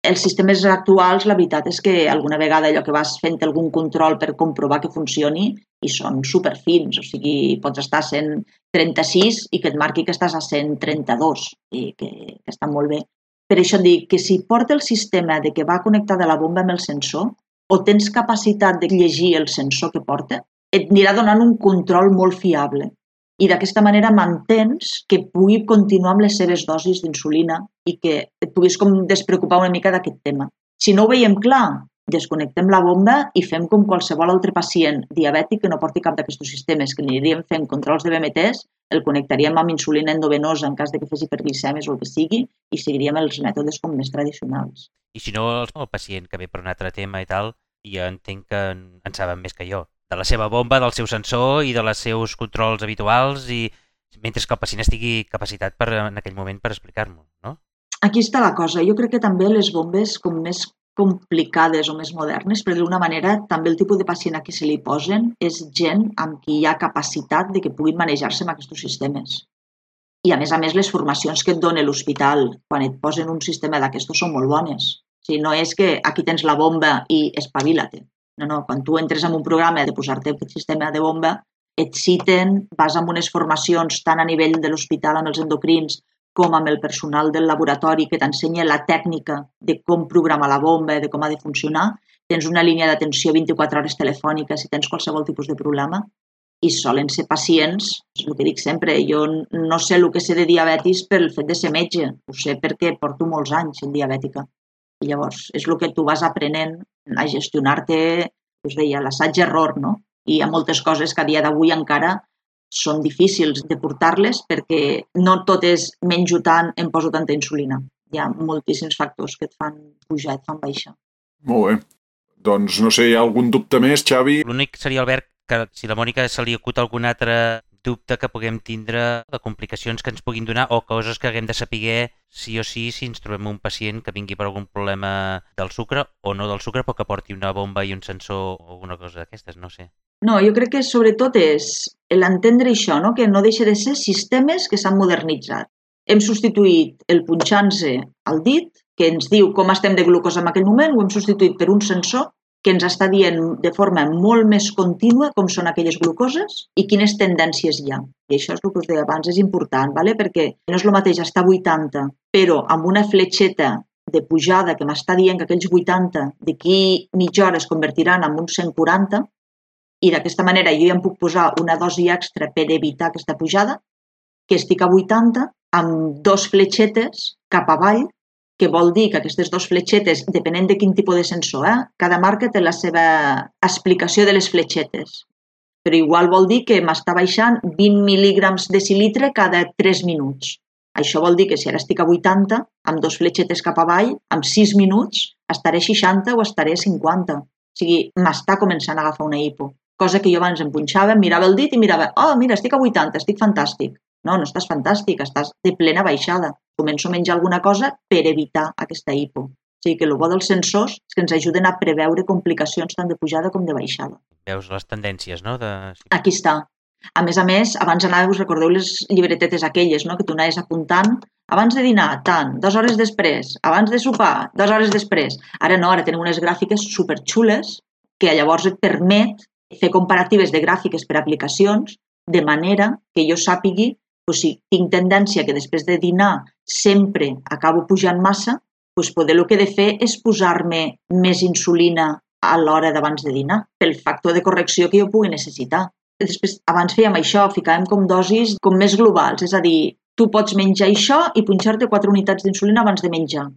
Els sistemes actuals, la veritat és que alguna vegada allò que vas fent algun control per comprovar que funcioni i són superfins, o sigui, pots estar a cent trenta-sis i que et marqui que estàs a cent trenta-dos, i que, que està molt bé. Per això et dic que si porta el sistema de que va connectada la bomba amb el sensor, o tens capacitat de llegir el sensor que porta, et anirà donant un control molt fiable. I d'aquesta manera mantens que pugui continuar amb les seves dosis d'insulina i que et puguis com despreocupar una mica d'aquest tema. Si no ho veiem clar, desconnectem la bomba i fem com qualsevol altre pacient diabètic que no porti cap d'aquests sistemes, que aniríem fent controls de B M Ts, el connectaríem amb insulina endovenosa en cas de que fes hiperglicèmies o el que sigui i seguiríem els mètodes com més tradicionals. I si no, el pacient que ve per un altre tema i tal, ja entenc que en saben més que jo. De la seva bomba, del seu sensor i dels seus controls habituals, i mentre que el pacient estigui capacitat per, en aquell moment per explicar-m'ho, no? Aquí està la cosa. Jo crec que també les bombes com més complicades o més modernes, per d'alguna manera, també el tipus de pacient a qui se li posen és gent amb qui hi ha capacitat de que puguin manejar-se amb aquests sistemes. I, a més a més, les formacions que et dona l'hospital quan et posen un sistema d'aquestos són molt bones. O sigui, no és que aquí tens la bomba i espavila-te. No, no, quan tu entres en un programa de posar-te aquest sistema de bomba, et citen, vas amb unes formacions tant a nivell de l'hospital amb els endocrins com amb el personal del laboratori que t'ensenya la tècnica de com programar la bomba, de com ha de funcionar. Tens una línia d'atenció vint-i-quatre hores telefònica si tens qualsevol tipus de problema. I solen ser pacients, és el que dic sempre, jo no sé el que sé de diabetis pel fet de ser metge, ho sé perquè porto molts anys en diabètica. I llavors és el que tu vas aprenent a gestionar-te, us deia, l'assaig-error, no? I hi ha moltes coses que a dia d'avui encara són difícils de portar-les perquè no tot és menjo tant, em poso tanta insulina. Hi ha moltíssims factors que et fan pujar, et fan baixar. Molt bé. Doncs no sé, hi ha algun dubte més, Xavi? L'únic seria, Albert, que si la Mònica se li acut algun altre dubte que puguem tindre de complicacions que ens puguin donar o coses que haguem de saber sí o sí si ens trobem un pacient que vingui per algun problema del sucre o no del sucre, però que porti una bomba i un sensor o alguna cosa d'aquestes, no sé. No, jo crec que sobretot és l'entendre això, no? Que no deixa de ser sistemes que s'han modernitzat. Hem substituït el punxant-se al dit, que ens diu com estem de glucosa en aquell moment, ho hem substituït per un sensor que ens està dient de forma molt més contínua com són aquelles glucoses i quines tendències hi ha. I això és el que us deia abans, és important, ¿vale? Perquè no és el mateix estar a vuitanta, però amb una fletxeta de pujada que m'està dient que aquells vuitanta d'aquí mitja hora es convertiran en uns cent quaranta i d'aquesta manera jo ja em puc posar una dosi extra per evitar aquesta pujada, que estic a vuitanta amb dos fletxetes cap avall, que vol dir que aquestes dues fletxetes, depenent de quin tipus de sensor, eh? Cada marca té la seva explicació de les fletxetes. Però igual vol dir que m'està baixant vint mil·lígrams de decilitre cada tres minuts. Això vol dir que si ara estic a vuitanta, amb dos fletxetes cap avall, amb sis minuts, estaré a seixanta o estaré a cinquanta. O sigui, m'està començant a agafar una hipo. Cosa que jo abans em punxava, em mirava el dit i mirava, oh, mira, estic a vuitanta, estic fantàstic. No, no estàs fantàstic, estàs de plena baixada. Començo a menjar alguna cosa per evitar aquesta hipo. O sigui que el bo dels sensors és que ens ajuden a preveure complicacions tant de pujada com de baixada. Veus les tendències, no? De... Aquí està. A més a més, abans anàveu, us recordeu les llibretetes aquelles, no? Que tu anaves apuntant abans de dinar, tant, dues hores després, abans de sopar, dues hores després. Ara no, ara tenim unes gràfiques superxules que llavors et permet fer comparatives de gràfiques per aplicacions de manera que jo sàpigui doncs, si tinc tendència que després de dinar sempre acabo pujant massa, doncs poder el que he de fer és posar-me més insulina a l'hora d'abans de dinar, pel factor de correcció que jo pugui necessitar. Després, abans fèiem això, ficàvem com dosis com més globals, és a dir, tu pots menjar això i punxar-te quatre unitats d'insulina abans de menjar.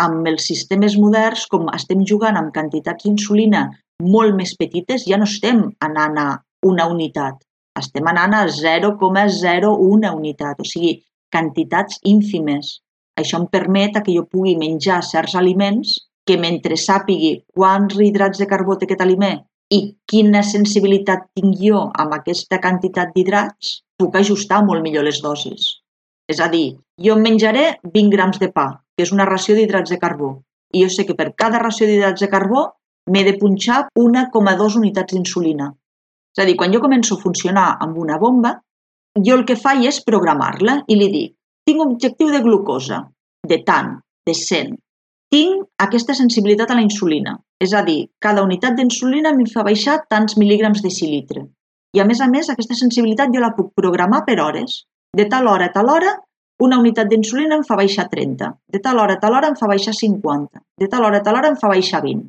Amb els sistemes moderns, com estem jugant amb quantitats d'insulina molt més petites, ja no estem anant a una unitat, estem anant a zero coma zero una unitat, o sigui, quantitats ínfimes. Això em permet que jo pugui menjar certs aliments que mentre sàpigui quants hidrats de carbó té aquest aliment i quina sensibilitat tinc jo amb aquesta quantitat d'hidrats, puc ajustar molt millor les dosis. És a dir, jo em menjaré vint grams de pa, que és una ració d'hidrats de carbó, i jo sé que per cada ració d'hidrats de carbó m'he de punxar una coma dos unitats d'insulina. És a dir, quan jo començo a funcionar amb una bomba, jo el que faig és programar-la i li dic, tinc un objectiu de glucosa, de tant, de cent. Tinc aquesta sensibilitat a la insulina, és a dir, cada unitat d'insulina em fa baixar tants mil·lígrams de decilitre. I a més a més, aquesta sensibilitat jo la puc programar per hores. De tal hora a tal hora, una unitat d'insulina em fa baixar trenta. De tal hora a tal hora em fa baixar cinquanta. De tal hora a tal hora em fa baixar vint.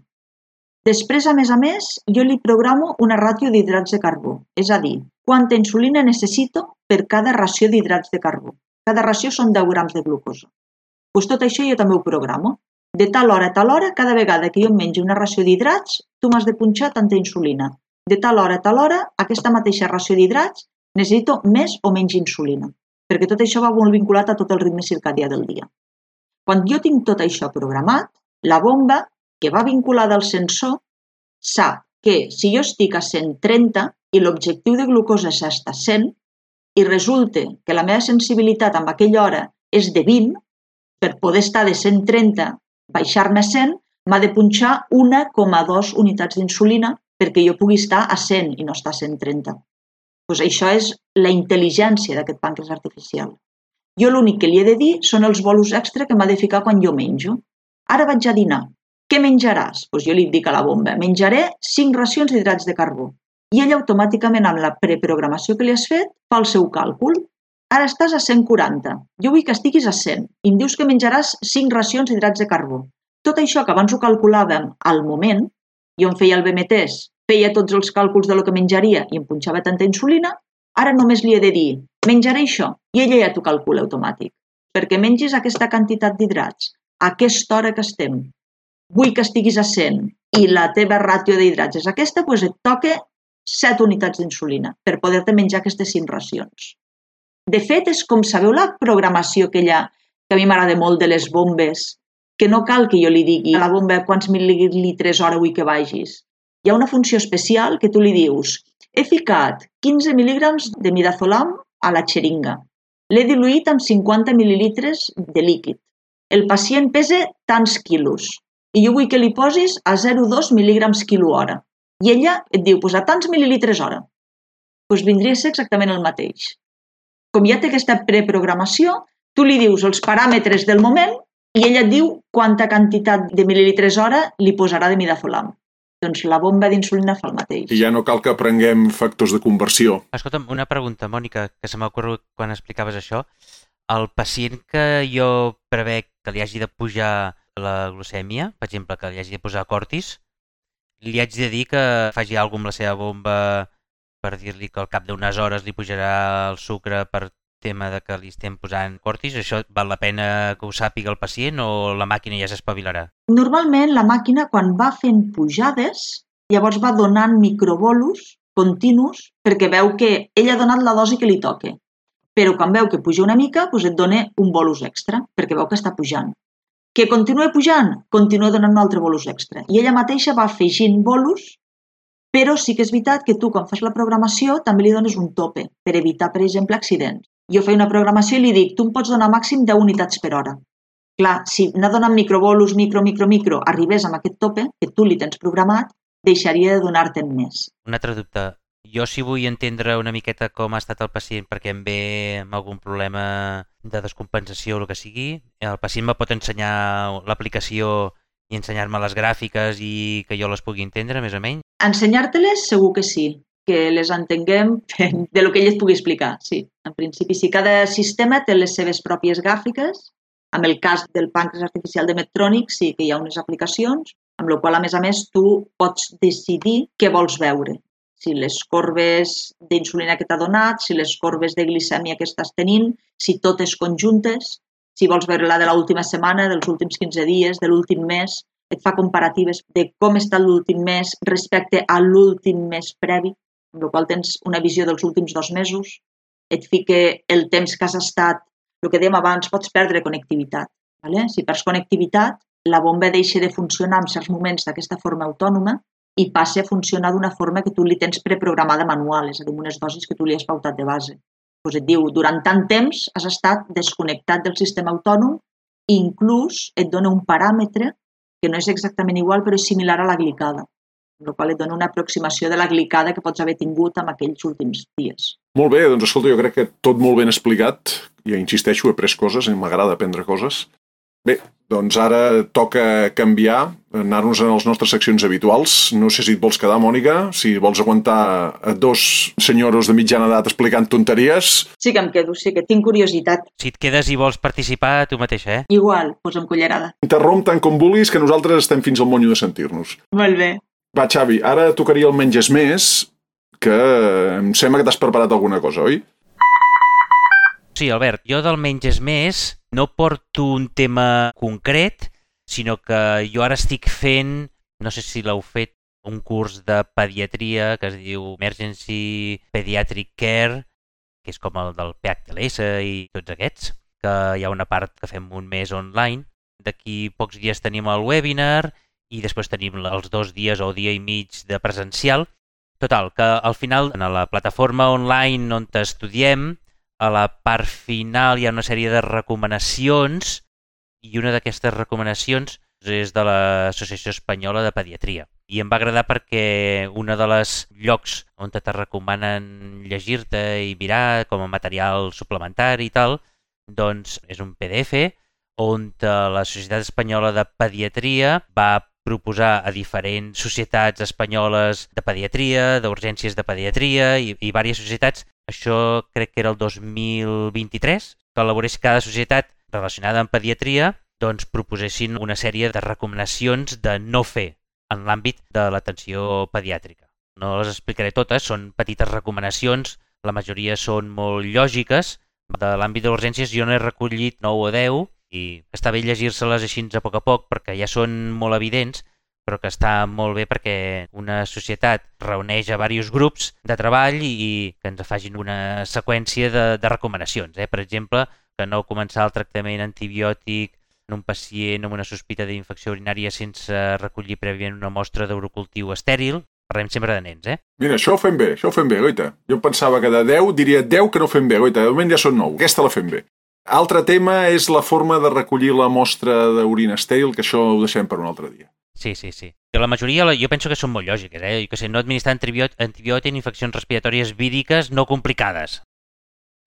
Després, a més a més, jo li programo una ràtio d'hidrats de carbó, és a dir, quanta insulina necessito per cada ració d'hidrats de carbó. Cada ració són deu grams de glucosa. Doncs tot això jo també ho programo. De tal hora a tal hora, cada vegada que jo em mengi una ració d'hidrats, tu m'has de punxar tanta insulina. De tal hora a tal hora, aquesta mateixa ració d'hidrats, necessito més o menys insulina, perquè tot això va molt vinculat a tot el ritme circadià del dia. Quan jo tinc tot això programat, la bomba, que va vinculada al sensor, sap que si jo estic a cent trenta i l'objectiu de glucosa és estar a cent, i resulta que la meva sensibilitat amb aquella hora és de vint, per poder estar de cent trenta, baixar-me a cent, m'ha de punxar una coma dos unitats d'insulina perquè jo pugui estar a cent i no estar a cent trenta. Doncs això és la intel·ligència d'aquest pàncreas artificial. Jo l'únic que li he de dir són els bolos extra que m'ha de ficar quan jo menjo. Ara vaig a dinar. Què menjaràs? Doncs jo li dic a la bomba, menjaré cinc racions d'hidrats de carbó. I ella automàticament, amb la preprogramació que li has fet, fa el seu càlcul. Ara estàs a cent quaranta. Jo vull que estiguis a cent. I em dius que menjaràs cinc racions d'hidrats de carbó. Tot això que abans ho calculàvem al moment, jo em feia el B M Ts, feia tots els càlculs de lo que menjaria i em punxava tanta insulina, ara només li he de dir, menjaré això, i ella ja t'ho calcula automàtic. Perquè mengis aquesta quantitat d'hidrats, a aquesta hora que estem, vull que estiguis a cent i la teva ràtio d'hidrats és aquesta, doncs et toca set unitats d'insulina per poder-te menjar aquestes cinc racions. De fet, és com sabeu la programació aquella que a mi m'agrada molt de les bombes, que no cal que jo li digui a la bomba quants mil·litres hora vull que vagis. Hi ha una funció especial que tu li dius, he ficat quinze mil·lígrams de midazolam a la xeringa. L'he diluït amb cinquanta mil·lilitres de líquid. El pacient pesa tants quilos i jo vull que li posis a zero coma dos mil·lígrams quilo hora. I ella et diu, doncs a tants mil·lilitres hora. Doncs vindria a ser exactament el mateix. Com ja té aquesta preprogramació, tu li dius els paràmetres del moment i ella et diu quanta quantitat de mil·lilitres hora li posarà de midazolam. Doncs la bomba d'insulina fa el mateix. I ja no cal que aprenguem factors de conversió. Escolta'm, una pregunta, Mònica, que se m'ha ocorregut quan explicaves això. El pacient que jo prevec que li hagi de pujar la glucèmia, per exemple, que li hagi de posar cortis, li haig de dir que faci alguna cosa amb la seva bomba per dir-li que al cap d'unes hores li pujarà el sucre per tema de que li estem posant cortis. Això val la pena que ho sàpiga el pacient o la màquina ja s'espavilarà? Normalment la màquina quan va fent pujades llavors va donant microbolos continus perquè veu que ell ha donat la dosi que li toca. Però quan veu que puja una mica, doncs et dona un bolus extra perquè veu que està pujant. Que continua pujant, continua donant un altre bolus extra. I ella mateixa va afegint bolus, però sí que és veritat que tu quan fas la programació també li dones un tope per evitar, per exemple, accidents. Jo faig una programació i li dic, tu em pots donar màxim deu unitats per hora. Clar, si anar donant microbolus, micro, micro, micro, arribés amb aquest tope, que tu li tens programat, deixaria de donar-te'n més. Un altre dubte. Jo si vull entendre una miqueta com ha estat el pacient perquè em ve amb algun problema de descompensació o el que sigui, el pacient me pot ensenyar l'aplicació i ensenyar-me les gràfiques i que jo les pugui entendre més o menys? Ensenyar-te-les segur que sí, que les entenguem de lo que ell et pugui explicar, sí. En principi, sí, cada sistema té les seves pròpies gràfiques. En el cas del pàncreas artificial de Medtronic sí que hi ha unes aplicacions, amb la qual, a més a més, tu pots decidir què vols veure. Si les corbes d'insulina que t'ha donat, si les corbes de glicèmia que estàs tenint, si totes conjuntes, si vols veure la de l'última setmana, dels últims quinze dies, de l'últim mes, et fa comparatives de com està l'últim mes respecte a l'últim mes previ, amb la qual tens una visió dels últims dos mesos, et fica el temps que has estat, el que dèiem abans, pots perdre connectivitat. Vale? Si perds connectivitat, la bomba deixa de funcionar en certs moments d'aquesta forma autònoma i passa a funcionar d'una forma que tu li tens preprogramada manual, és a dir, unes dosis que tu li has pautat de base. Doncs et diu, durant tant temps has estat desconnectat del sistema autònom i inclús et dona un paràmetre que no és exactament igual, però és similar a la glicada, amb la qual et dona una aproximació de la glicada que pots haver tingut en aquells últims dies. Molt bé, doncs escolta, jo crec que tot molt ben explicat. Ja insisteixo, he pres coses i m'agrada aprendre coses. Bé, doncs ara toca canviar, anar-nos en les nostres seccions habituals. No sé si et vols quedar, Mònica, si vols aguantar a dos senyoros de mitjana edat explicant tonteries. Sí que em quedo, sí que tinc curiositat. Si et quedes i vols participar, tu mateixa, eh? Igual, posa'm cullerada. Interromp tant com vulguis, que nosaltres estem fins al monyo de sentir-nos. Molt bé. Va, Xavi, ara tocaria el menges més, que em sembla que t'has preparat alguna cosa, oi? Sí, Albert, jo del menges més no porto un tema concret, sinó que jo ara estic fent, no sé si l'heu fet, un curs de pediatria que es diu Emergency Pediatric Care, que és com el del P H T L S i tots aquests, que hi ha una part que fem un mes online. D'aquí pocs dies tenim el webinar i després tenim els dos dies o dia i mig de presencial. Total, que al final, en la plataforma online on estudiem, a la part final hi ha una sèrie de recomanacions i una d'aquestes recomanacions és de l'Associació Espanyola de Pediatria. I em va agradar perquè un dels llocs on te recomanen llegir-te i mirar com a material suplementari i tal, doncs és un P D F on la Societat Espanyola de Pediatria va proposar a diferents societats espanyoles de pediatria, d'urgències de pediatria i, i diverses societats. Això crec que era el dos mil vint-i-tres, que elaborés cada societat relacionada amb pediatria, doncs proposessin una sèrie de recomanacions de no fer en l'àmbit de l'atenció pediàtrica. No les explicaré totes, són petites recomanacions, la majoria són molt lògiques. De l'àmbit de urgències jo n'he recollit nou o deu i està bé llegir-se-les així a poc a poc perquè ja són molt evidents, però que està molt bé perquè una societat reuneix a diversos grups de treball i que ens facin una seqüència de, de recomanacions. Eh? Per exemple, que no començar el tractament antibiòtic en un pacient amb una sospita d'infecció urinària sense recollir prèviament una mostra d'urocultiu estèril. Parlem sempre de nens, eh? Mira, això ho fem bé, això ho fem bé, goita. Jo pensava que de deu diria deu que no fem bé, goita. De moment ja són nou, aquesta la fem bé. Altre tema és la forma de recollir la mostra d'orina estèril, que això ho deixem per un altre dia. Sí, sí, sí. Que la majoria jo penso que són molt lògiques, eh? Jo que sé, no administrar antibiòtic en infeccions respiratòries víriques no complicades.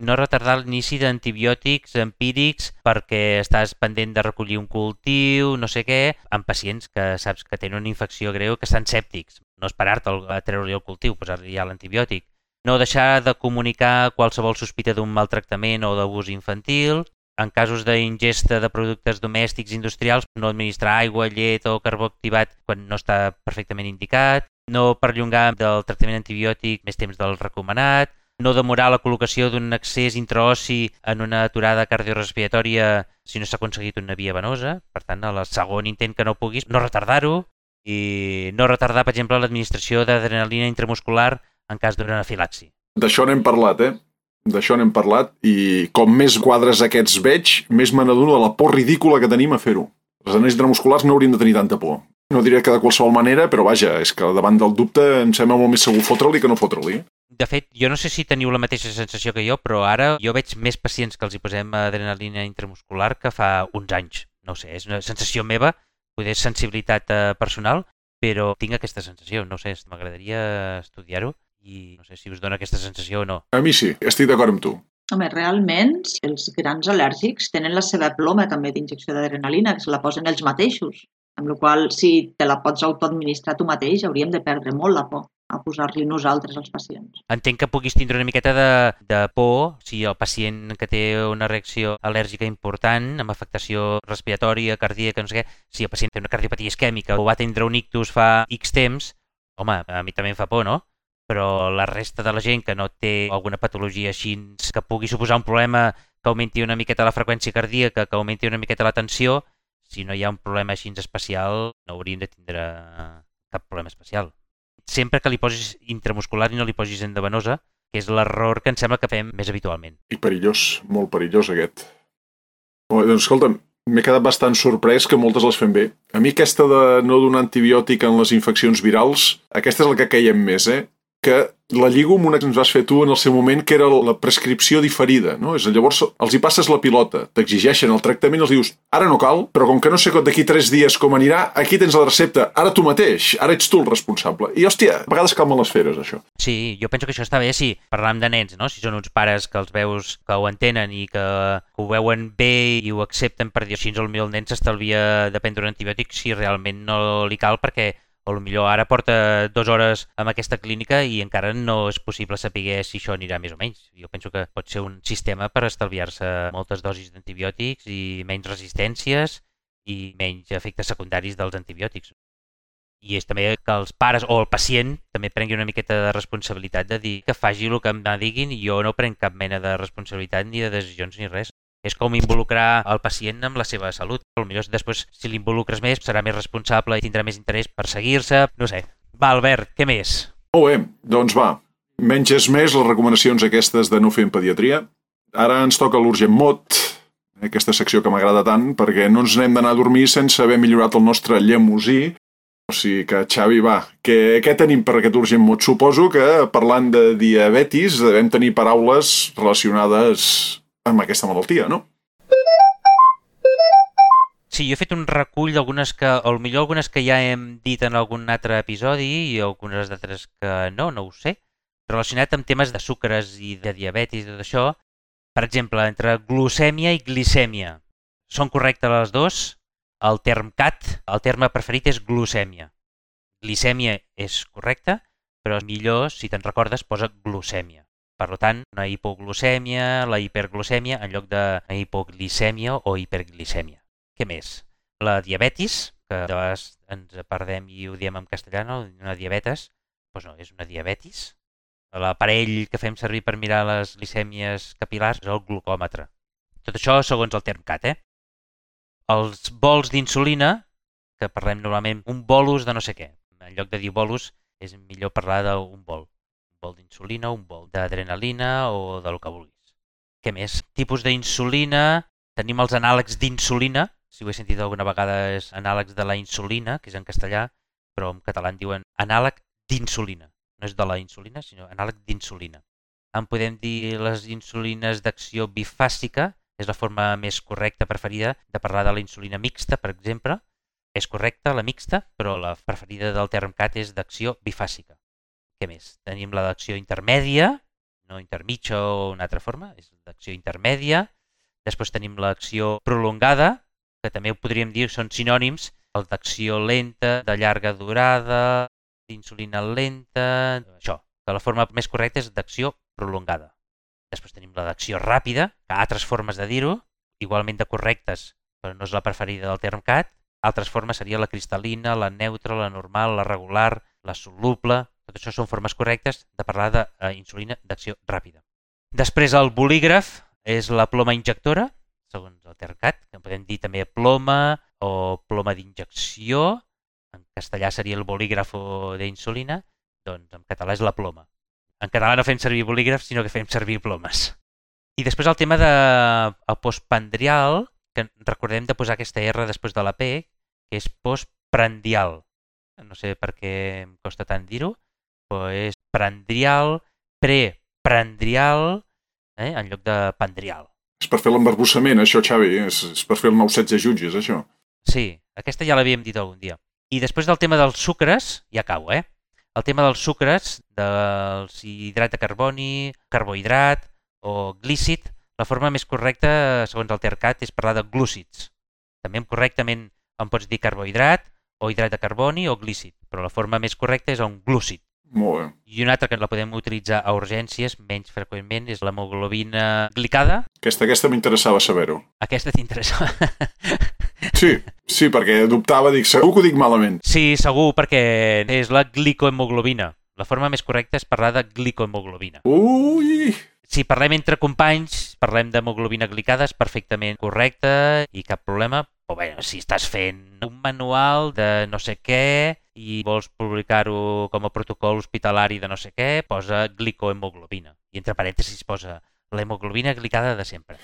No retardar l'inici d'antibiòtics empírics perquè estàs pendent de recollir un cultiu, no sé què, en pacients que saps que tenen una infecció greu que estan sèptics. No esperar-te a treure-li el cultiu, posar-li ja l'antibiòtic. No deixar de comunicar qualsevol sospita d'un maltractament o d'abús infantil. En casos d'ingesta de productes domèstics industrials, no administrar aigua, llet o carbó activat quan no està perfectament indicat. No perllongar del tractament antibiòtic més temps del recomanat. No demorar la col·locació d'un accés intraossi en una aturada cardiorespiratòria si no s'ha aconseguit una via venosa. Per tant, al segon intent que no puguis, no retardar-ho. I no retardar, per exemple, l'administració d'adrenalina intramuscular en cas d'una anafilaxi. D'això n'hem parlat, eh? D'això n'hem parlat i com més quadres aquests veig, més me n'adono de la por ridícula que tenim a fer-ho. Les anells intramusculars no haurien de tenir tanta por. No diré que de qualsevol manera, però vaja, és que davant del dubte em sembla molt més segur fotre-li que no fotre-li. De fet, jo no sé si teniu la mateixa sensació que jo, però ara jo veig més pacients que els hi posem adrenalina intramuscular que fa uns anys. No sé, és una sensació meva, potser és sensibilitat personal, però tinc aquesta sensació. No sé, m'agradaria estudiar-ho i no sé si us dona aquesta sensació o no. A mi sí, estic d'acord amb tu. Home, realment, els grans al·lèrgics tenen la seva ploma també d'injecció d'adrenalina, que se la posen ells mateixos. Amb la qual cosa, si te la pots autoadministrar tu mateix, hauríem de perdre molt la por a posar-li nosaltres als pacients. Entenc que puguis tindre una miqueta de, de por si el pacient que té una reacció al·lèrgica important, amb afectació respiratòria, cardíaca, no sé què, si el pacient té una cardiopatia isquèmica o va tindre un ictus fa X temps, home, a mi també em fa por, no? Però la resta de la gent que no té alguna patologia així que pugui suposar un problema que augmenti una miqueta la freqüència cardíaca, que augmenti una miqueta la tensió, si no hi ha un problema així especial, no hauríem de tindre cap problema especial. Sempre que li posis intramuscular i no li posis endovenosa, que és l'error que em sembla que fem més habitualment. I perillós, molt perillós aquest. Oh, doncs escolta'm, m'he quedat bastant sorprès que moltes les fem bé. A mi aquesta de no donar antibiòtic en les infeccions virals, aquesta és la que caiem més, eh? que la lligo amb una que ens vas fer tu en el seu moment, que era la prescripció diferida, no? És a dir, llavors els hi passes la pilota, t'exigeixen el tractament, els dius, ara no cal, però com que no sé d'aquí tres dies com anirà, aquí tens la recepta, ara tu mateix, ara ets tu el responsable. I, hòstia, a vegades calma les feres, això. Sí, jo penso que això està bé si parlam de nens, no? Si són uns pares que els veus que ho entenen i que ho veuen bé i ho accepten per dir així, potser el nen s'estalvia de prendre un antibiòtic si realment no li cal, perquè o potser ara porta dues hores en aquesta clínica i encara no és possible saber si això anirà més o menys. Jo penso que pot ser un sistema per estalviar-se moltes dosis d'antibiòtics i menys resistències i menys efectes secundaris dels antibiòtics. I és també que els pares o el pacient també prengui una miqueta de responsabilitat de dir que faci el que em diguin i jo no prenc cap mena de responsabilitat ni de decisions ni res. És com involucrar el pacient amb la seva salut. Potser després, si l'involucres més, serà més responsable i tindrà més interès per seguir-se. No sé. Va, Albert, què més? Molt bé, doncs va. Menys és més les recomanacions aquestes de no fer en pediatria. Ara ens toca l'Urgent Mod, aquesta secció que m'agrada tant, perquè no ens n'hem d'anar a dormir sense haver millorat el nostre llemosí. O sigui que, Xavi, va, què, què tenim per aquest Urgent Mod? Suposo que, parlant de diabetis, devem tenir paraules relacionades amb aquesta malaltia, no? Sí, jo he fet un recull d'algunes que, o millor algunes que ja hem dit en algun altre episodi i algunes d'altres que no, no ho sé, relacionat amb temes de sucres i de diabetis i tot això. Per exemple, entre glucèmia i glicèmia. Són correctes les dues? El term C A T, el terme preferit és glucèmia. Glicèmia és correcte, però millor, si te'n recordes, posa glucèmia. Per tant, una hipoglucèmia, la hiperglucèmia, en lloc de hipoglicèmia o hiperglicèmia. Què més? La diabetis, que de vegades ens perdem i ho diem en castellà, no? Una diabetes, doncs no, és una diabetis. L'aparell que fem servir per mirar les glicèmies capil·lars és el glucòmetre. Tot això segons el term C A T, eh? Els bols d'insulina, que parlem normalment un bolus de no sé què. En lloc de dir bolus, és millor parlar d'un bol. Un bol d'insulina, un bol d'adrenalina o del que vulguis. Què més? Tipus d'insulina, tenim els anàlegs d'insulina, si ho he sentit alguna vegada és anàlegs de la insulina, que és en castellà, però en català en diuen anàleg d'insulina. No és de la insulina, sinó anàleg d'insulina. En podem dir les insulines d'acció bifàsica, és la forma més correcta, preferida, de parlar de la insulina mixta, per exemple. És correcta, la mixta, però la preferida del term C A T és d'acció bifàsica. Què més? Tenim la d'acció intermèdia, no intermitja o una altra forma, és d'acció intermèdia. Després tenim l'acció prolongada, que també ho podríem dir, són sinònims, el d'acció lenta, de llarga durada, d'insulina lenta, això, que la forma més correcta és d'acció prolongada. Després tenim la d'acció ràpida, que hi ha altres formes de dir-ho, igualment de correctes, però no és la preferida del term C A T. Altres formes seria la cristal·lina, la neutra, la normal, la regular, la soluble. Tot això són formes correctes de parlar d'insulina d'acció ràpida. Després el bolígraf és la ploma injectora, segons el term C A T, que podem dir també ploma o ploma d'injecció. En castellà seria el bolígraf d'insulina, doncs en català és la ploma. En català no fem servir bolígrafs, sinó que fem servir plomes. I després el tema del postprandial, que recordem de posar aquesta R després de la P, que és postprandial. No sé per què em costa tant dir-ho, però és prandial, preprandial, eh, en lloc de pandrial. És per fer l'embarbussament, això, Xavi. És, és per fer el nou setze jutges, això. Sí, aquesta ja l'havíem dit algun dia. I després del tema dels sucres, ja acabo, eh? El tema dels sucres, dels hidrat de carboni, carbohidrat o glícid, la forma més correcta, segons el term C A T, és parlar de glúcids. També correctament en pots dir carbohidrat o hidrat de carboni o glícid, però la forma més correcta és un glúcid. Molt bé. I una altra que la podem utilitzar a urgències menys freqüentment és l'hemoglobina glicada. Aquesta, aquesta m'interessava saber-ho. Aquesta t'interessava? Sí, sí, perquè dubtava, dic, segur que ho dic malament. Sí, segur, perquè és la glicohemoglobina. La forma més correcta és parlar de glicohemoglobina. Ui! Si parlem entre companys, parlem d'hemoglobina glicada, és perfectament correcte i cap problema. Però bé, si estàs fent un manual de no sé què i vols publicar-ho com a protocol hospitalari de no sé què, posa glicohemoglobina. I entre parèntesis posa l'hemoglobina glicada de sempre.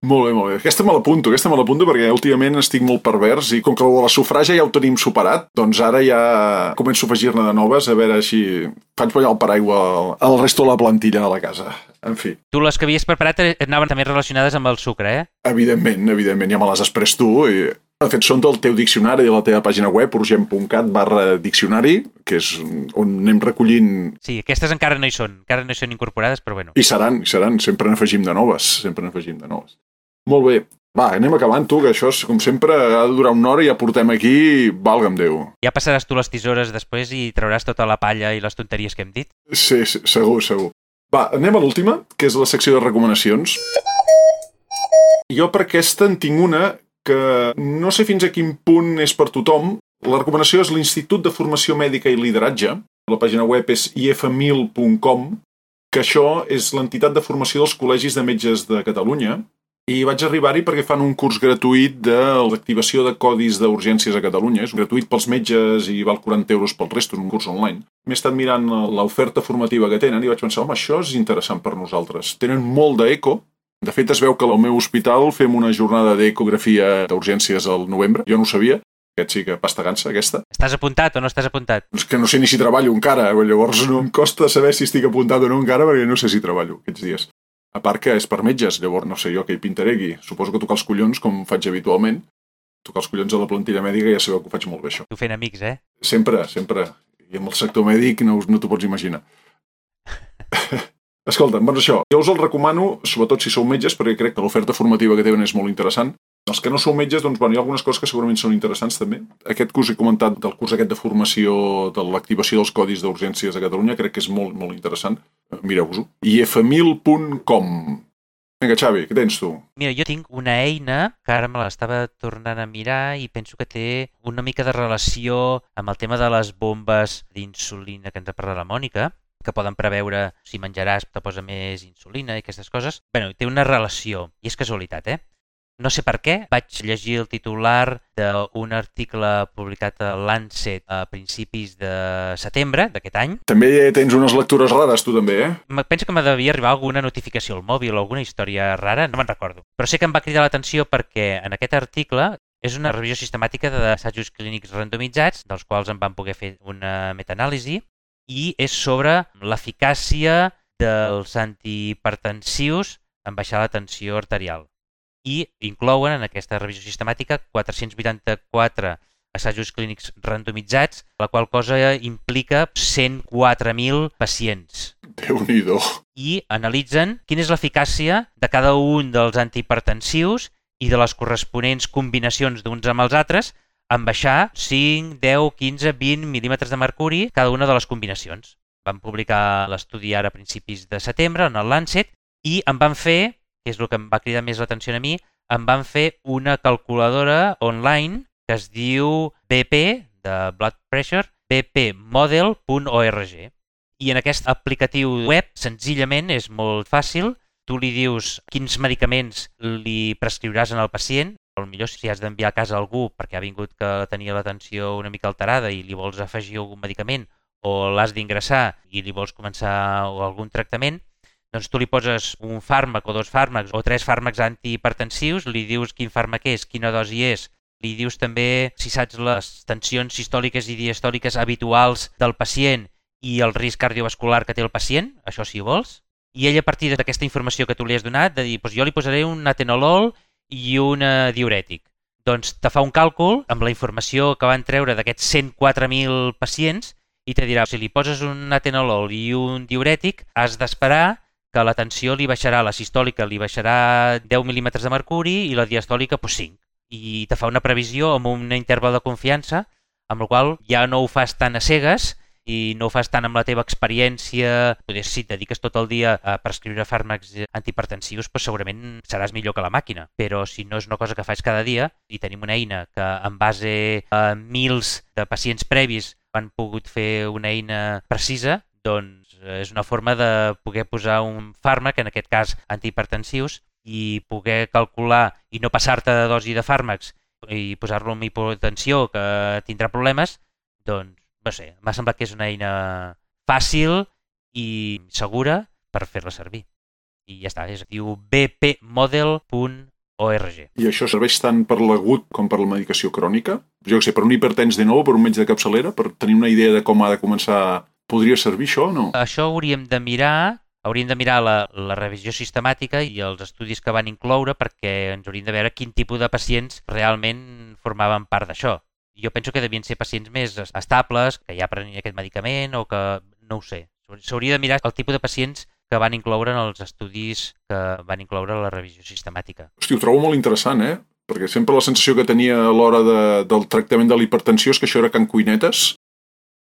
Molt bé, molt bé. Aquesta me l'apunto, aquesta me l'apunto perquè últimament estic molt pervers i com que la sufràgia ja ho tenim superat, doncs ara ja començo a afegir-ne de noves, a veure si faig ballar el paraigua al, al resto de la plantilla de la casa. En fi. Tu les que havies preparat anaven també relacionades amb el sucre, eh? Evidentment, evidentment, ja me les has pres tu i... De fet, són del teu diccionari de la teva pàgina web, urgent punt cat barra diccionari, que és on anem recollint... Sí, aquestes encara no hi són, encara no hi són incorporades, però bueno. I seran, i seran, sempre n'afegim de noves, sempre n'afegim de noves. Molt bé, va, anem acabant tu, que això, és, com sempre, ha de durar una hora i ja portem aquí, valga'm Déu. Ja passaràs tu les tisores després i trauràs tota la palla i les tonteries que hem dit? Sí, sí, segur, segur. Va, anem a l'última, que és la secció de recomanacions. Jo per aquesta en tinc una que no sé fins a quin punt és per tothom. La recomanació és l'Institut de Formació Mèdica i Lideratge. La pàgina web és i efa mil punt com, que això és l'entitat de formació dels col·legis de metges de Catalunya. I vaig arribar-hi perquè fan un curs gratuït de l'activació de codis d'urgències a Catalunya. És gratuït pels metges i val quaranta euros pel resto, és un curs online. M'he estat mirant l'oferta formativa que tenen i vaig pensar, home, això és interessant per nosaltres. Tenen molt d'eco. De fet, es veu que al meu hospital fem una jornada d'ecografia d'urgències al novembre. Jo no ho sabia. Aquest sí que pasta gansa, aquesta. Estàs apuntat o no estàs apuntat? És que no sé ni si treballo encara. Llavors no em costa saber si estic apuntat o no encara perquè no sé si treballo aquests dies. A part que és per metges, llavors no sé jo què hi pintaré aquí. Suposo que tocar els collons, com faig habitualment. Tocar els collons a la plantilla mèdica ja sabeu que ho faig molt bé, això. Tu fent amics, eh? Sempre, sempre. I amb el sector mèdic no, no t'ho pots imaginar. Escolta, doncs això, jo us el recomano, sobretot si sou metges, perquè crec que l'oferta formativa que tenen és molt interessant. Els que no sou metges, doncs, bueno, hi ha algunes coses que segurament són interessants també. Aquest que us he comentat del curs aquest de formació de l'activació dels codis d'urgències a Catalunya, crec que és molt, molt interessant. Mireu-vos-ho. i efa mil punt com. Vinga, Xavi, què tens tu? Mira, jo tinc una eina que ara me l'estava tornant a mirar i penso que té una mica de relació amb el tema de les bombes d'insulina que ens ha parlat la Mònica, que poden preveure si menjaràs te posa més insulina i aquestes coses. Bé, té una relació, i és casualitat, eh? No sé per què, vaig llegir el titular d'un article publicat a Lancet a principis de setembre d'aquest any. També tens unes lectures rares, tu també, eh? Penso que me devia arribar alguna notificació al mòbil o alguna història rara, no me'n recordo. Però sé que em va cridar l'atenció perquè en aquest article és una revisió sistemàtica d'assajos clínics randomitzats, dels quals en van poder fer una metaanàlisi, i és sobre l'eficàcia dels antihipertensius en baixar la tensió arterial. I inclouen en aquesta revisió sistemàtica quatre-cents vuitanta-quatre assajos clínics randomitzats, la qual cosa implica cent quatre mil pacients. Déu-n'hi-do. I analitzen quina és l'eficàcia de cada un dels antihipertensius i de les corresponents combinacions d'uns amb els altres en baixar cinc, deu, quinze, vint mil·límetres de mercuri cada una de les combinacions. Van publicar l'estudi ara a principis de setembre en el Lancet i em van fer, que és el que em va cridar més l'atenció a mi, em van fer una calculadora online que es diu B P, de Blood Pressure, b p model punt org. I en aquest aplicatiu web, senzillament, és molt fàcil. Tu li dius quins medicaments li prescriuràs en el pacient. Potser si has d'enviar a casa algú perquè ha vingut que tenia la tensió una mica alterada i li vols afegir algun medicament o l'has d'ingressar i li vols començar algun tractament, doncs tu li poses un fàrmac o dos fàrmacs o tres fàrmacs antihipertensius, li dius quin fàrmac és, quina dosi és, li dius també si saps les tensions sistòliques i diastòliques habituals del pacient i el risc cardiovascular que té el pacient, això si vols, i ell a partir d'aquesta informació que tu li has donat, de dir, doncs jo li posaré un atenolol i un diurètic. Doncs te fa un càlcul amb la informació que van treure d'aquests cent quatre mil pacients i te dirà, si li poses un atenolol i un diurètic, has d'esperar que la tensió li baixarà, la sistòlica li baixarà deu mil·límetres de mercuri i la diastòlica pues, cinc. I te fa una previsió amb un interval de confiança, amb el qual ja no ho fas tan a cegues i no ho fas tant amb la teva experiència. Potser si et dediques tot el dia a prescriure fàrmacs antihipertensius, doncs segurament seràs millor que la màquina. Però si no és una cosa que fas cada dia i tenim una eina que en base a mils de pacients previs han pogut fer una eina precisa, doncs és una forma de poder posar un fàrmac, en aquest cas antihipertensius, i poder calcular i no passar-te de dosi de fàrmacs i posar-lo amb hipotensió que tindrà problemes, doncs no sé, m'ha semblat que és una eina fàcil i segura per fer-la servir. I ja està, es diu b p model punt o erre ge. I això serveix tant per l'agut com per la medicació crònica? Jo què sé, per un hipertens de nou, per un metge de capçalera, per tenir una idea de com ha de començar, podria servir això o no? Això hauríem de mirar, hauríem de mirar la, la revisió sistemàtica i els estudis que van incloure perquè ens hauríem de veure quin tipus de pacients realment formaven part d'això. Jo penso que devien ser pacients més estables, que ja prenien aquest medicament o que, no ho sé. S'hauria de mirar el tipus de pacients que van incloure en els estudis que van incloure la revisió sistemàtica. Hosti, ho trobo molt interessant, eh? Perquè sempre la sensació que tenia a l'hora de, del tractament de la hipertensió és que això era can cuinetes.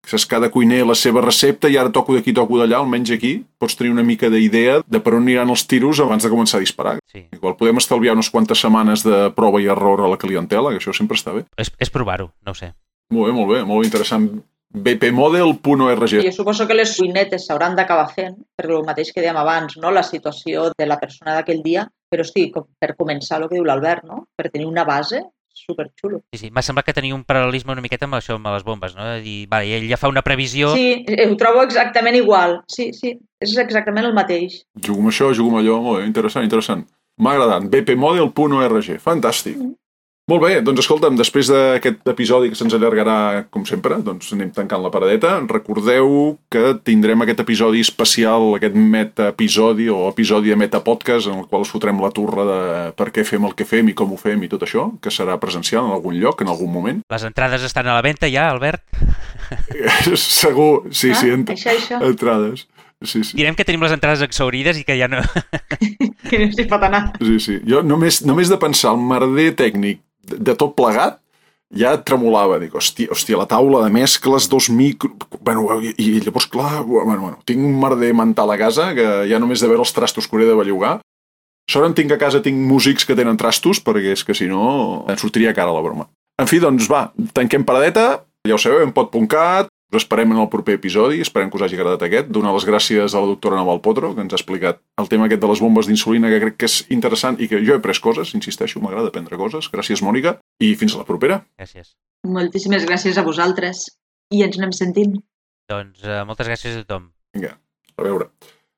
Saps, cada cuiner la seva recepta i ara toco d'aquí, toco d'allà, almenys aquí. Pots tenir una mica d'idea de per on aniran els tiros abans de començar a disparar. Sí. Igual podem estalviar unes quantes setmanes de prova i error a la clientela, que això sempre està bé. És, és provar-ho, no ho sé. Molt bé, molt bé, molt interessant. b p model punt org. Jo suposo que les cuinetes s'hauran d'acabar fent, per el mateix que dèiem abans, no? La situació de la persona d'aquell dia, però hosti, per començar el que diu l'Albert, no? Per tenir una base superxulo. Sí, sí. M'ha semblat que tenia un paral·lelisme una miqueta amb això, amb les bombes, no? De dir, vale, ell ja fa una previsió... Sí, ho trobo exactament igual. Sí, sí, és exactament el mateix. Jugo amb això, jugo amb allò, molt bé, interessant, interessant. M'ha agradat, b p model punt org, fantàstic. Mm. Molt bé, doncs escolta'm, després d'aquest episodi que se'ns allargarà, com sempre, doncs anem tancant la paradeta. Recordeu que tindrem aquest episodi especial, aquest meta-episodi o episodi de meta-podcast en el qual us fotrem la turra de per què fem el que fem i com ho fem i tot això, que serà presencial en algun lloc, en algun moment. Les entrades estan a la venda ja, Albert? Segur, sí, ah, sí, ent això, això. entrades. Sí, sí. Direm que tenim les entrades exhaurides i que ja no... que no s'hi pot anar. Sí, sí. Jo només, només de pensar el merder tècnic de, de tot plegat, ja tremolava. Dic, hòstia, hòstia, la taula de mescles, dos micro... Bueno, i, i llavors, clar, bueno, bueno, tinc un merder mental a casa que ja només de veure els trastos que hauré de bellugar. Sort en tinc a casa, tinc músics que tenen trastos, perquè és que si no em sortiria cara la broma. En fi, doncs va, tanquem paradeta, ja ho sabeu, en pot punt cat, us esperem en el proper episodi, esperem que us hagi agradat aquest. Donar les gràcies a la doctora Naval Potro, que ens ha explicat el tema aquest de les bombes d'insulina, que crec que és interessant i que jo he après coses, insisteixo, m'agrada aprendre coses. Gràcies, Mònica, i fins a la propera. Gràcies. Moltíssimes gràcies a vosaltres i ens anem sentint. Doncs uh, moltes gràcies a tothom. Vinga, a veure.